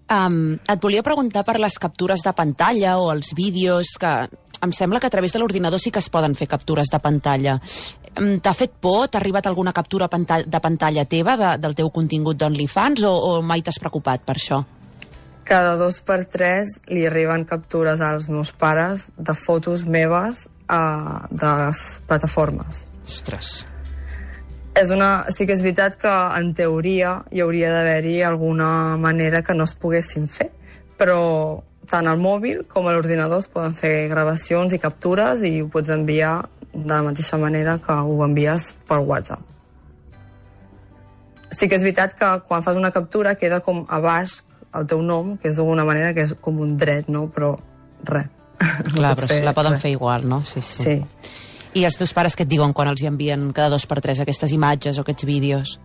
Um, et volia preguntar per les captures de pantalla o els vídeos, que em sembla que a través de l'ordinador sí que es poden fer captures de pantalla. T'ha fet por? T'ha arribat alguna captura de pantalla teva de, del teu contingut d'OnlyFans o, o mai t'has preocupat per això? Cada dos per tres li arriben captures als meus pares de fotos meves uh, de les plataformes. Ostres. És una... Sí que és veritat que, en teoria, hi hauria d'haver-hi alguna manera que no es poguessin fer, però tant al mòbil com a l'ordinador es poden fer gravacions i captures i ho pots enviar de la mateixa manera que ho envies per WhatsApp. Sí que és veritat que quan fas una captura queda com a baix el teu nom, que és d'alguna manera que és com un dret, no? Però res. Clar, però fer, la poden res. fer igual, no? Sí, sí. Sí. I els teus pares què et diuen quan els hi envien cada dos per tres aquestes imatges o aquests vídeos?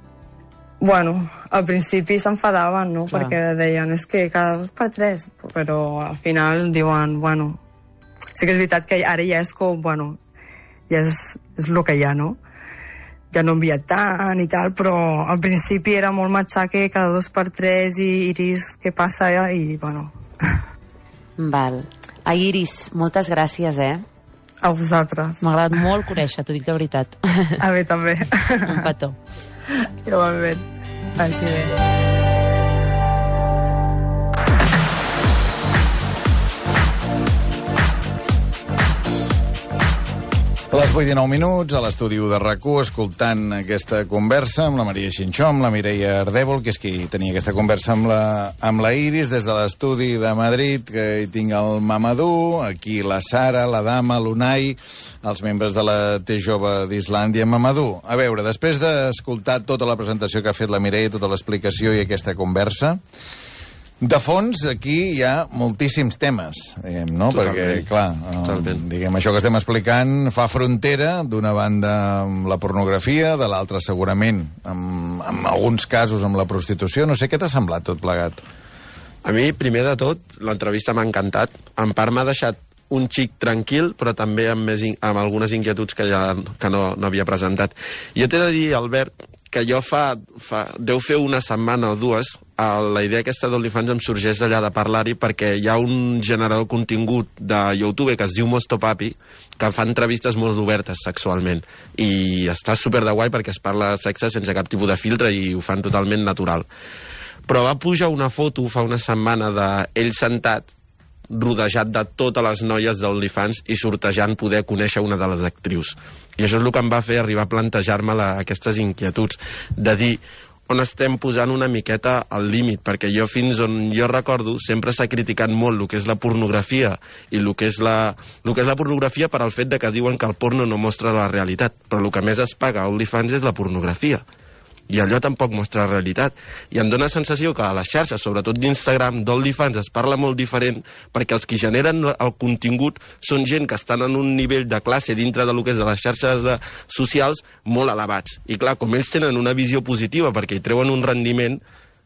Bueno, al principi s'enfadaven, no? Clar. Perquè deien, és que cada dos per tres, però al final diuen, bueno, sí que és veritat que ara ja és com, bueno, ja és, és el que hi ha, no? Ja no envia tant i tal, però al principi era molt matxaque, cada dos per tres i Iris, què passa? I, bueno... Val. A Iris, moltes gràcies, eh? A vosaltres. M'ha agradat molt conèixer, t'ho dic de veritat. A mi també. Un petó. Igualment. Així bé. A les vuit i dinou minuts, a l'estudi de RAC u, escoltant aquesta conversa amb la Maria Xinxó, amb la Mireia Ardèvol, que és qui tenia aquesta conversa amb la, amb la Iris, des de l'estudi de Madrid, que hi tinc el Mamadou, aquí la Sara, la Dama, l'Unai, els membres de la T Jove d'Islàndia. Mamadou, a veure, després d'escoltar tota la presentació que ha fet la Mireia, tota l'explicació i aquesta conversa, de fons, aquí hi ha moltíssims temes, diguem, no? Totalment. Perquè, clar, eh, diguem, això que estem explicant fa frontera, d'una banda amb la pornografia, de l'altra segurament, amb, amb alguns casos amb la prostitució. No sé, què t'ha semblat tot plegat? A mi, primer de tot, l'entrevista m'ha encantat. En part m'ha deixat un xic tranquil, però també amb, més in amb algunes inquietuds que ja que no, no havia presentat. Jo t'he de dir, Albert, que jo fa, fa... deu fer una setmana o dues, la idea aquesta d'OnlyFans em sorgeix d'allà de parlar-hi perquè hi ha un generador de contingut de YouTube que es diu Mosto Papi, que fa entrevistes molt obertes sexualment. I està super de guai perquè es parla de sexe sense cap tipus de filtre i ho fan totalment natural. Però va pujar una foto fa una setmana d'ell sentat, rodejat de totes les noies d'OnlyFans i sortejant poder conèixer una de les actrius. I això és el que em va fer arribar a plantejar-me aquestes inquietuds, de dir on estem posant una miqueta al límit, perquè jo fins on jo recordo sempre s'ha criticat molt el que és la pornografia i el que és la, el que és la pornografia per al fet de que diuen que el porno no mostra la realitat, però el que més es paga a OnlyFans és la pornografia. I allò tampoc mostra la realitat. I em dóna la sensació que a les xarxes, sobretot d'Instagram, d'OnlyFans, es parla molt diferent perquè els que generen el contingut són gent que estan en un nivell de classe dintre de lo que és de les xarxes de, socials molt elevats. I clar, com ells tenen una visió positiva perquè hi treuen un rendiment,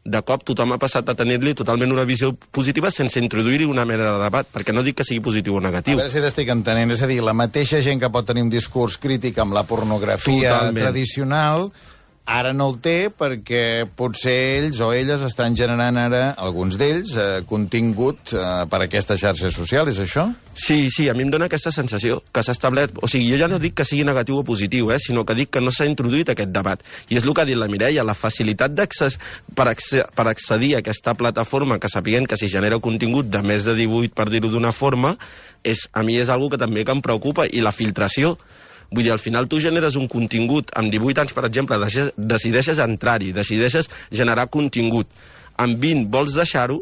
de cop tothom ha passat a tenir-li totalment una visió positiva sense introduir-hi una mena de debat, perquè no dic que sigui positiu o negatiu. A veure si t'estic entenent, és a dir, la mateixa gent que pot tenir un discurs crític amb la pornografia totalment tradicional, ara no el té perquè potser ells o elles estan generant ara, alguns d'ells, eh, contingut eh, per a aquesta xarxa social, és això? Sí, sí, a mi em dóna aquesta sensació que s'ha establert... O sigui, jo ja no dic que sigui negatiu o positiu, eh, sinó que dic que no s'ha introduït aquest debat. I és el que ha dit la Mireia, la facilitat d'accés per, per accedir a aquesta plataforma, que sapiguem que si genera contingut de més de divuit, per dir-ho d'una forma, és, a mi és algo que també que em preocupa, i la filtració. Vull dir, al final tu generes un contingut, amb divuit anys, per exemple, deixes, decideixes entrar-hi, decideixes generar contingut. Amb vint vols deixar-ho,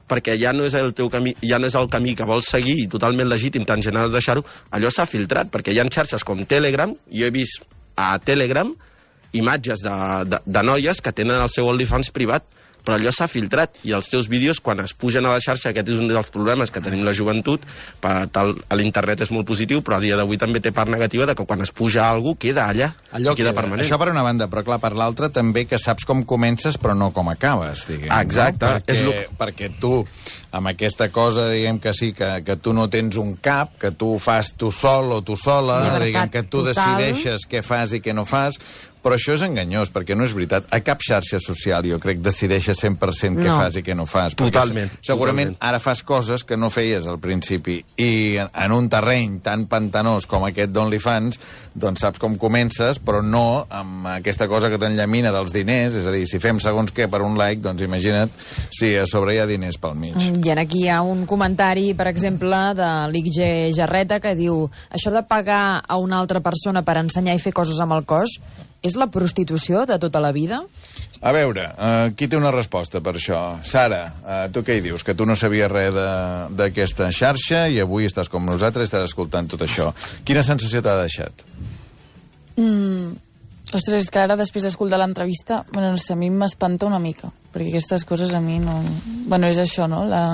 perquè ja no és el teu camí, ja no és el camí que vols seguir, i totalment legítim, tant generar deixar-ho, allò s'ha filtrat, perquè hi ha xarxes com Telegram, jo he vist a Telegram imatges de, de, de noies que tenen el seu OnlyFans privat, però allò s'ha filtrat, i els teus vídeos, quan es pugen a la xarxa, aquest és un dels problemes que tenim la joventut, per tal, a l'internet és molt positiu, però a dia d'avui també té part negativa de que quan es puja alguna cosa, queda allà, allò queda queda permanent. Això per una banda, però clar, per l'altra també que saps com comences però no com acabes, diguem. Exacte. No? Perquè, és lo... perquè tu, amb aquesta cosa, diguem que sí, que, que tu no tens un cap, que tu fas tu sol o tu sola, llibertat diguem que tu total. decideixes què fas i què no fas, però això és enganyós, perquè no és veritat. A cap xarxa social, jo crec, decideixes cent per cent què no. fas i què no fas. Totalment. Segurament totalment. ara fas coses que no feies al principi, i en, en un terreny tan pantanós com aquest d'OnlyFans, doncs saps com comences, però no amb aquesta cosa que t'enllamina dels diners, és a dir, si fem segons què per un like, doncs imagina't si a sobre hi ha diners pel mig. I aquí hi ha un comentari, per exemple, de l'I G Jarreta, que diu: això de pagar a una altra persona per ensenyar i fer coses amb el cos és la prostitució de tota la vida? A veure, uh, qui té una resposta per això? Sara, uh, tu què hi dius? Que tu no sabies res d'aquesta xarxa i avui estàs com nosaltres i estàs escoltant tot això. Quina sensació t'ha deixat? Mm, ostres, és que ara després d'escoltar l'entrevista, bueno, no sé, a mi m'espanta una mica, perquè aquestes coses a mi no... Bueno, és això, no? La,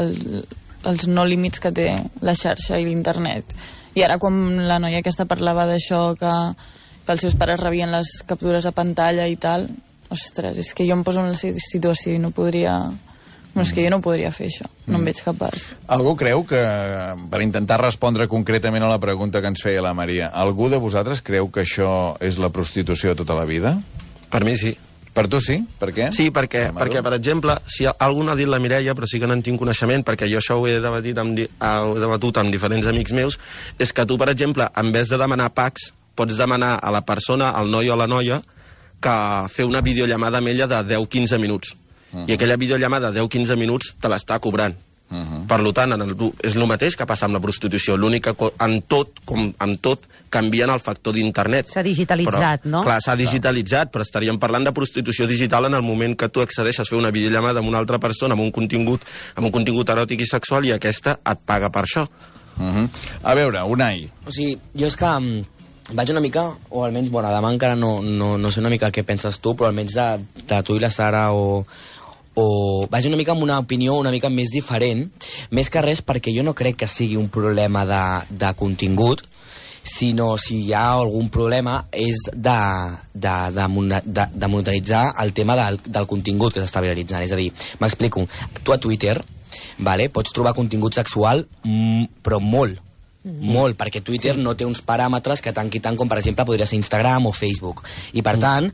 el, els no límits que té la xarxa i l'internet. I ara quan la noia aquesta parlava d'això, que, que els seus pares rebien les captures a pantalla i tal... Ostres, és que jo em poso en la situació i no podria... No, és que jo no podria fer això, no em veig capaç. Algú creu que, per intentar respondre concretament a la pregunta que ens feia la Maria, algú de vosaltres creu que això és la prostitució de tota la vida? Per mi sí. Per tu sí? Per què? Sí, perquè, perquè per exemple, si algú n'ha dit la Mireia, però sí que no en tinc coneixement, perquè jo això ho he debatut amb, ho he debatut amb diferents amics meus, és que tu, per exemple, en vez de demanar packs, pots demanar a la persona, al noi o a la noia, que fer una videollamada amb ella de deu a quinze minuts. Uh -huh. I aquella videollamada de deu a quinze minuts te l'està cobrant. Uh -huh. Per tant, en el, és el mateix que passa amb la prostitució. L'únic que en tot, com en tot, canvien el factor d'internet. S'ha digitalitzat, però, no? Clar, s'ha digitalitzat, però estaríem parlant de prostitució digital en el moment que tu accedeixes a fer una videollamada amb una altra persona, amb un contingut, amb un contingut eròtic i sexual, i aquesta et paga per això. Uh -huh. A veure, Unai. O sigui, jo és que... Vaig una mica, o almenys, bueno, demà encara no, no, no sé una mica què penses tu, però almenys de, de tu i la Sara, o, o vaig una mica amb una opinió una mica més diferent, més que res perquè jo no crec que sigui un problema de, de contingut, sinó si hi ha algun problema és de, de, de, de, de monetaritzar el tema del, del contingut que s'està viralitzant. És a dir, m'explico, tu a Twitter, vale, pots trobar contingut sexual, mm, però molt, Mm-hmm. molt, perquè Twitter sí. no té uns paràmetres que tant i tant com, per exemple, podria ser Instagram o Facebook. I, per mm. tant,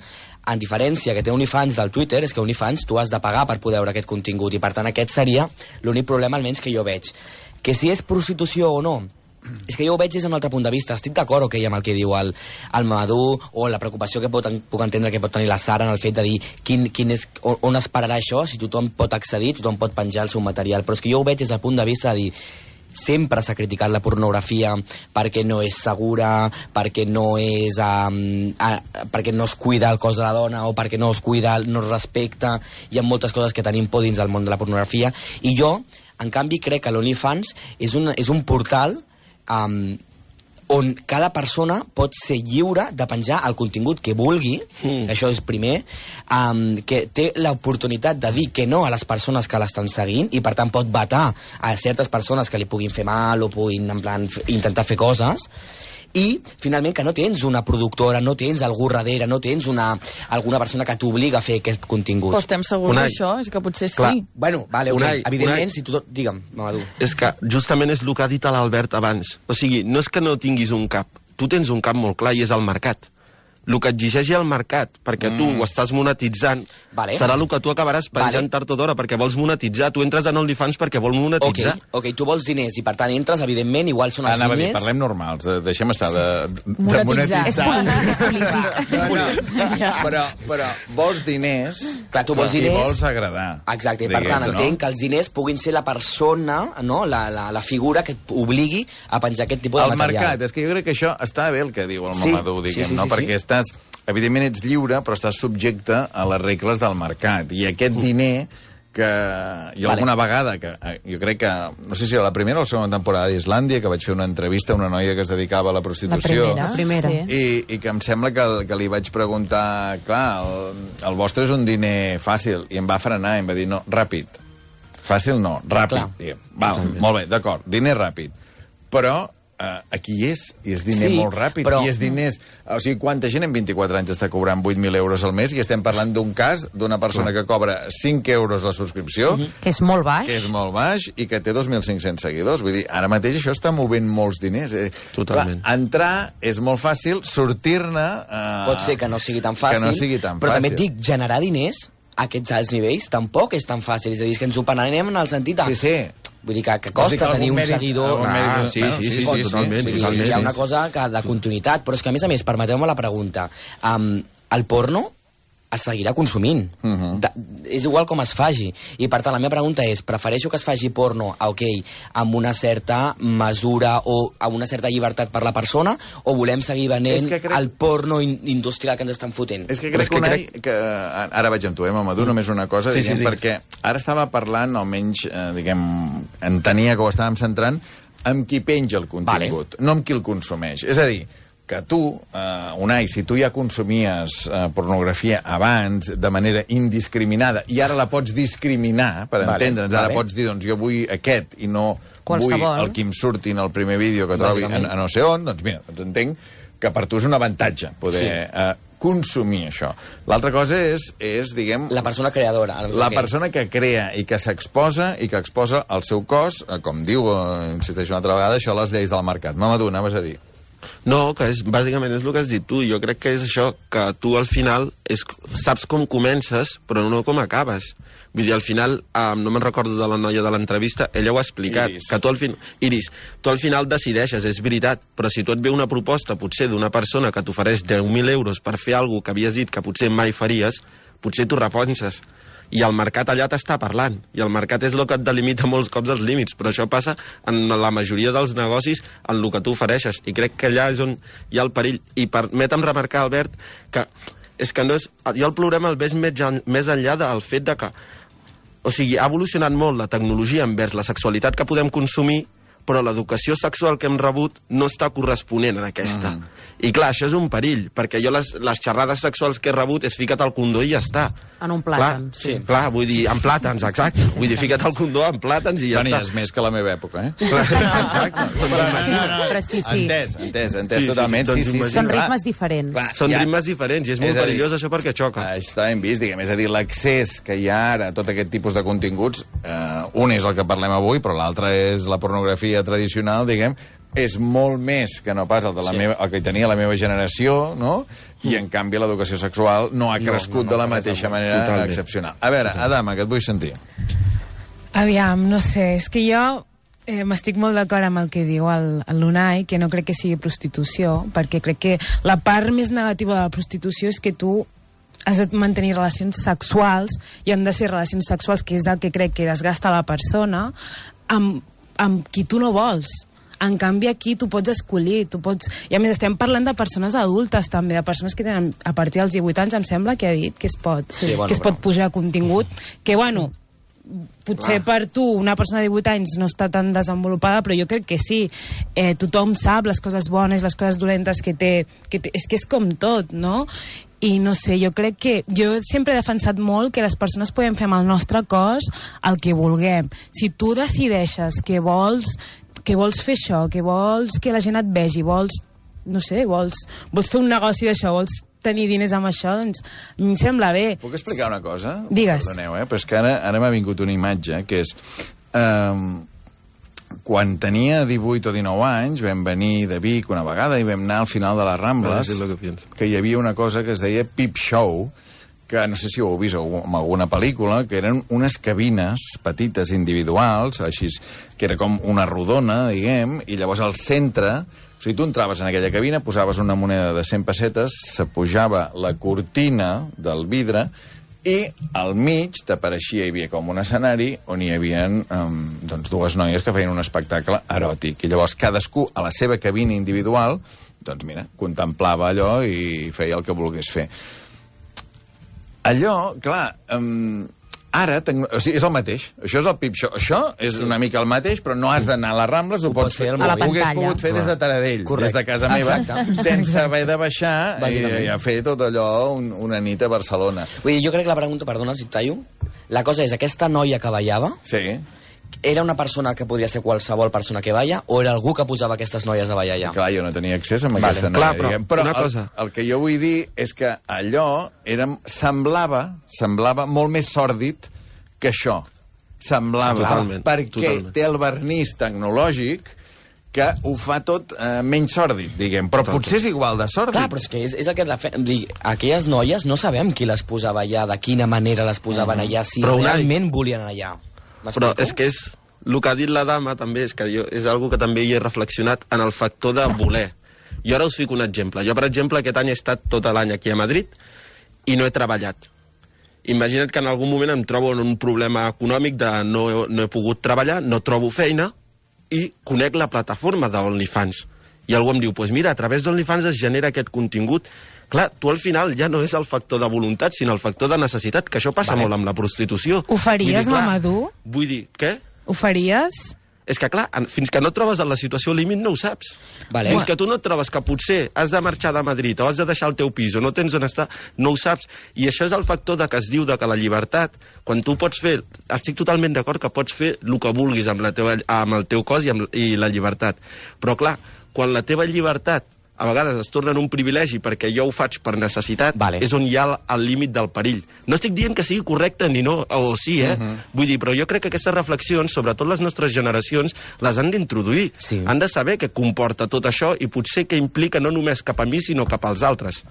en diferència que té OnlyFans del Twitter, és que OnlyFans tu has de pagar per poder veure aquest contingut, i, per tant, aquest seria l'únic problema, almenys, que jo veig. Que si és prostitució o no, és que jo ho veig des d'un altre punt de vista. Estic d'acord, ok, amb el que diu el, el Mamadou, o la preocupació que pot, puc entendre que pot tenir la Sara en el fet de dir quin, quin és, on, on es pararà això, si tothom pot accedir, tothom pot penjar el seu material. Però és que jo ho veig des del punt de vista de dir sempre s'ha criticat la pornografia perquè no és segura, perquè no és um, uh, perquè no es cuida el cos de la dona, o perquè no es cuida, no es respecta. Hi ha moltes coses que tenim por dins del món de la pornografia, i jo, en canvi, crec que l'OnlyFans és un, és un portal um, on cada persona pot ser lliure de penjar el contingut que vulgui, mm. això és primer, um, que té l'oportunitat de dir que no a les persones que l'estan seguint, i per tant pot vetar a certes persones que li puguin fer mal o puguin en plan, intentar fer coses, i finalment que no tens una productora, no tens algú darrere, no tens una, alguna persona que t'obliga a fer aquest contingut. Però estem segurs d'això? És que potser Clar. sí. Bueno, vale, ok. Unai, Evidentment, Unai. si tu... Digue'm, Mamadou. És que justament és el que ha dit l'Albert abans. O sigui, no és que no tinguis un cap. Tu tens un cap molt clar i és el mercat. El que exigeix el mercat, perquè mm. tu ho estàs monetitzant, vale. serà el que tu acabaràs penjant vale. tard o d'hora, perquè vols monetitzar. Tu entres en OnlyFans perquè vols monetitzar. Ok, ok, tu vols diners, i per tant entres, evidentment, igual són els Anava diners... A dir, parlem normals, de, deixem estar de, de monetitzar. monetitzar. És polític, és polític. No, no, però, però vols diners, Clar, tu vols i diners... vols agradar. Exacte, i per tant, no? entenc que els diners puguin ser la persona, no? la, la, la figura que obligui a penjar aquest tipus de el material. El mercat, és que jo crec que això està bé el que diu el sí, Mamadou, diguem, sí, sí, no? sí, Perquè sí. estàs... Evidentment ets lliure, però estàs subjecte a les regles del mercat. I aquest diner que jo Vale. alguna vegada, que jo crec que, no sé si era la primera o la segona temporada d'Islàndia, que vaig fer una entrevista a una noia que es dedicava a la prostitució. La primera. La primera. Sí. I, I que em sembla que, que li vaig preguntar, clar, el, el vostre és un diner fàcil, i em va frenar, i em va dir, no, ràpid. Fàcil no, ràpid. Diguem. Val, molt bé, d'acord, diner ràpid. Però Uh, aquí és, i és diner sí, molt ràpid, però... i és diners... O sigui, quanta gent en vint-i-quatre anys està cobrant vuit mil euros al mes, i estem parlant d'un cas d'una persona que cobra cinc euros la subscripció... Mm-hmm. Que és molt baix. Que és molt baix, i que té dos mil cinc-cents seguidors. Vull dir, ara mateix això està movent molts diners. Eh? Totalment. Clar, entrar és molt fàcil, sortir-ne... Uh, Pot ser que no sigui tan fàcil, que no sigui tan però fàcil. també et dic, generar diners a aquests alts nivells tampoc és tan fàcil. És a dir, que ens ho panem en el sentit de... Sí, sí. Vull dir que, que costa no, tenir un mèrit, seguidor... Ah, sí, sí, sí, sí, sí, totalment. Sí, totalment. hi ha una cosa que de continuïtat, però és que, a més a més, permeteu-me la pregunta. Um, el porno es seguirà consumint. Uh-huh. de, és igual com es faci. I per tant, la meva pregunta és, prefereixo que es faci porno, ok, amb una certa mesura o amb una certa llibertat per la persona, o volem seguir venent crec... el porno in industrial que ens estan fotent? És que crec, és que, Unai, crec... que... Ara vaig amb tu, eh, Mamadou, mm. només una cosa, sí, diguem, sí, perquè ara estava parlant, almenys, eh, diguem, entenia que ho estàvem centrant, amb qui penja el contingut, vale. no amb qui el consumeix. És a dir, que tu, uh, Unai, si tu ja consumies uh, pornografia abans de manera indiscriminada i ara la pots discriminar, per vale, entendre'ns, ara vale. pots dir, doncs jo vull aquest i no Qualsevol. vull el que em surti en el primer vídeo que trobi a, a no sé on, doncs mira, doncs entenc que per tu és un avantatge poder sí. uh, consumir això. L'altra cosa és, és, diguem... La persona creadora. La que... persona que crea i que s'exposa i que exposa el seu cos, uh, com diu, uh, insisteixo una altra vegada, això a les lleis del mercat. Mamadou, anaves a dir... No, que és, bàsicament és el que has dit tu. Jo crec que és això, que tu al final és, saps com comences, però no com acabes. Vull dir, al final, eh, no me'n recordo de la noia de l'entrevista, ella ho ha explicat. Iris. Que tu al, fin... Iris, tu al final decideixes, és veritat, però si tu et ve una proposta, potser d'una persona que t'ofereix deu mil euros per fer alguna que havies dit que potser mai faries, potser tu repenses. I el mercat allà t'està parlant, i el mercat és el que et delimita molts cops els límits, però això passa en la majoria dels negocis en el que tu ofereixes, i crec que allà és on hi ha el perill. I permetem remarcar, Albert, que és que no és, jo el problema el veig més, més enllà del fet de que, o sigui, ha evolucionat molt la tecnologia envers la sexualitat que podem consumir, però l'educació sexual que hem rebut no està corresponent a aquesta. Mm. I clar, això és un perill, perquè jo les, les xerrades sexuals que he rebut és fica't al condó i ja està. En un plàtan. Clar, sí. Clar, vull dir, en plàtans, exacte. Vull dir, fica't al condó en plàtans i ja Venies està. Venies més que la meva època, eh? Clar, exacte. No, no, no. Però sí, sí. Entès, entès, entès sí, totalment. Sí, sí, sí, sí, Són ritmes diferents. Clar, són ja. ritmes diferents i és molt és perillós dir, això perquè xoca. Està ben vist, diguem, és a dir, l'accés que hi ha ara a tot aquest tipus de continguts, eh, un és el que parlem avui, però l'altre és la pornografia tradicional, diguem, és molt més que no pas el, de la sí. meva, el que tenia la meva generació, no? I, en canvi, l'educació sexual no ha crescut no, no, no, de la mateixa manera totalment. excepcional. A veure, Adama, que et vull sentir. Aviam, no sé, és que jo eh, m'estic molt d'acord amb el que diu el, el Unai, que no crec que sigui prostitució, perquè crec que la part més negativa de la prostitució és que tu has de mantenir relacions sexuals, i han de ser relacions sexuals, que és el que crec que desgasta la persona, amb, amb qui tu no vols. En canvi, aquí tu pots escollir, tu pots... I a més, estem parlant de persones adultes, també, de persones que tenen, a partir dels divuit anys, em sembla que ha dit que es pot, sí, bueno, que es pot pujar contingut, que, bueno, potser Clar. per tu, una persona de divuit anys no està tan desenvolupada, però jo crec que sí. Eh, tothom sap les coses bones, les coses dolentes que té, que té... És que és com tot, no? I no sé, jo crec que... Jo sempre he defensat molt que les persones podem fer amb el nostre cos el que vulguem. Si tu decideixes que vols... que vols fer això, que vols que la gent et vegi, vols, no sé, vols, vols fer un negoci d'això, vols tenir diners amb això, doncs em sembla bé. Puc explicar una cosa? Digues. Perdoneu, eh? Però és que ara, ara m'ha vingut una imatge, que és... Um, quan tenia divuit o dinou anys, vam venir de Vic una vegada i vam anar al final de les Rambles, ah, que, que hi havia una cosa que es deia Peep Show, que no sé si ho heu vist en alguna pel·lícula, que eren unes cabines petites individuals, així, que era com una rodona, diguem, i llavors al centre, o sigui, tu entraves en aquella cabina, posaves una moneda de cent pessetes, se pujava la cortina del vidre, i al mig t'apareixia, hi havia com un escenari on hi havia um, doncs, dues noies que feien un espectacle eròtic. I llavors cadascú, a la seva cabina individual, doncs mira, contemplava allò i feia el que volgués fer. Allò, clar, um, ara, o sigui, és el mateix. Això és el Peep Show. Això és una mica el mateix, però no has d'anar a les Rambles, ho, ho pots fer, a la ho hagués pogut fer des de Taradell, Correcte. des de casa meva, Exacte. sense haver de baixar i, i a fer tot allò un, una nit a Barcelona. Vull dir, jo crec que la pregunta, perdona si et tallo, la cosa és, aquesta noia que ballava, sí. era una persona que podia ser qualsevol persona que balla, o era algú que posava aquestes noies a ballar allà? Clar, jo no tenia accés a vale, aquesta noia. Clar, però diguem. però una el, cosa. el que jo vull dir és que allò era, semblava, semblava molt més sòrdid que això. Semblava. Totalment, perquè totalment. té el vernís tecnològic que ho fa tot eh, menys sòrdid, diguem. Però Total. potser és igual de sòrdid. Clar, però és que és, és el que la fe... Dir, aquelles noies no sabem qui les posava allà, de quina manera les posaven mm. allà, si però realment una... volien anar allà. Però és que és... El que ha dit la dama també és que jo, és algo que també hi he reflexionat en el factor de voler. Jo ara us fico un exemple. Jo, per exemple, aquest any he estat tot l'any aquí a Madrid i no he treballat. Imagina't que en algun moment em trobo en un problema econòmic de no, no he pogut treballar, no trobo feina i conec la plataforma d'OnlyFans. I algú em diu, pues mira, a través d'OnlyFans es genera aquest contingut. Clar, tu al final ja no és el factor de voluntat, sinó el factor de necessitat, que això passa vale. molt amb la prostitució. Ho faries, Mamadou? Vull dir, què? Ho faries? És que, clar, fins que no et trobes en la situació límit no ho saps. Vale. Fins que tu no et trobes que potser has de marxar de Madrid o has de deixar el teu pis o no tens on estar, no ho saps. I això és el factor de que es diu de que la llibertat, quan tu pots fer... Estic totalment d'acord que pots fer el que vulguis amb, la teva, amb el teu cos i, amb, i la llibertat. Però, clar, quan la teva llibertat a vegades es torna en un privilegi perquè jo ho faig per necessitat, vale. és on hi ha el, el límit del perill. No estic dient que sigui correcte ni no, o sí, eh? Uh -huh. Vull dir, però jo crec que aquestes reflexions, sobretot les nostres generacions, les han d'introduir. Sí. Han de saber què comporta tot això i potser què implica no només cap a mi, sinó cap als altres.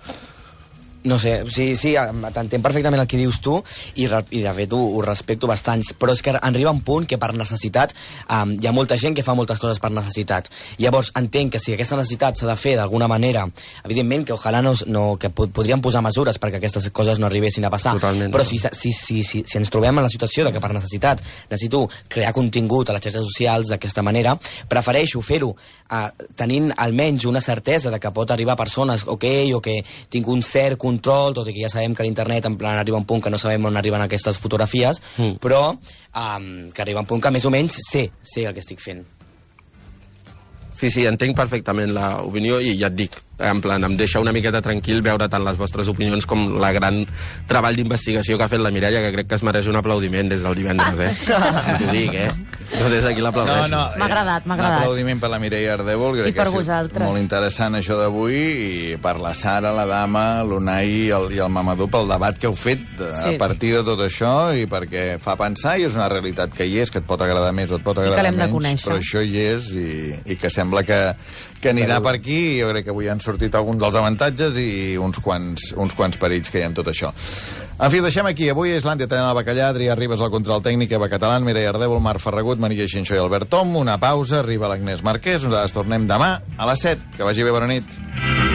No sé, sí, sí, t'entenc perfectament el que dius tu i, i de fet ho, ho respecto bastant, però és que arriba un punt que per necessitat um, hi ha molta gent que fa moltes coses per necessitat. Llavors entenc que si aquesta necessitat s'ha de fer d'alguna manera, evidentment que ojalà no, no, que pod podríem posar mesures perquè aquestes coses no arribessin a passar. Totalment, però no. si, si, si, si, si ens trobem en la situació de que per necessitat necessito crear contingut a les xarxes socials d'aquesta manera, prefereixo fer-ho uh, tenint almenys una certesa de que pot arribar a persones, ok, o que tinc un cert control, tot i que ja sabem que l'internet en plan arriba un punt que no sabem on arriben aquestes fotografies, mm. però um, que arriba un punt que més o menys sé, sé el que estic fent. Sí, sí, entenc perfectament l'opinió i ja et dic, en plan, em deixa una miqueta tranquil veure tant les vostres opinions com la gran treball d'investigació que ha fet la Mireia, que crec que es mereix un aplaudiment des del divendres, eh? T'ho dic, eh? Jo des d'aquí l'aplaudeixo. No, no, m'ha agradat, m'ha agradat. Un aplaudiment per la Mireia Ardèvol, crec que ha sigut molt interessant això d'avui, i per la Sara, la Dama, l'Unai i el, i el Mamadou pel debat que heu fet a sí. partir de tot això, i perquè fa pensar, i és una realitat que hi és, que et pot agradar més o et pot agradar menys, però això hi és, i, i que sembla que, que anirà per aquí, i jo crec que avui han sortit alguns dels avantatges i uns quants, uns quants perills que hi ha en tot això. En fi, ho deixem aquí. Avui és l'Àndia Tenen el Bacallà, Adrià Ribas al control tècnic, Eva Catalán, Mireia Ardèvol, Marc Ferragut, Maria Xinxó i Albert Tom. Una pausa, arriba l'Agnès Marquès. Nosaltres tornem demà a les set. Que vagi bé, bona nit.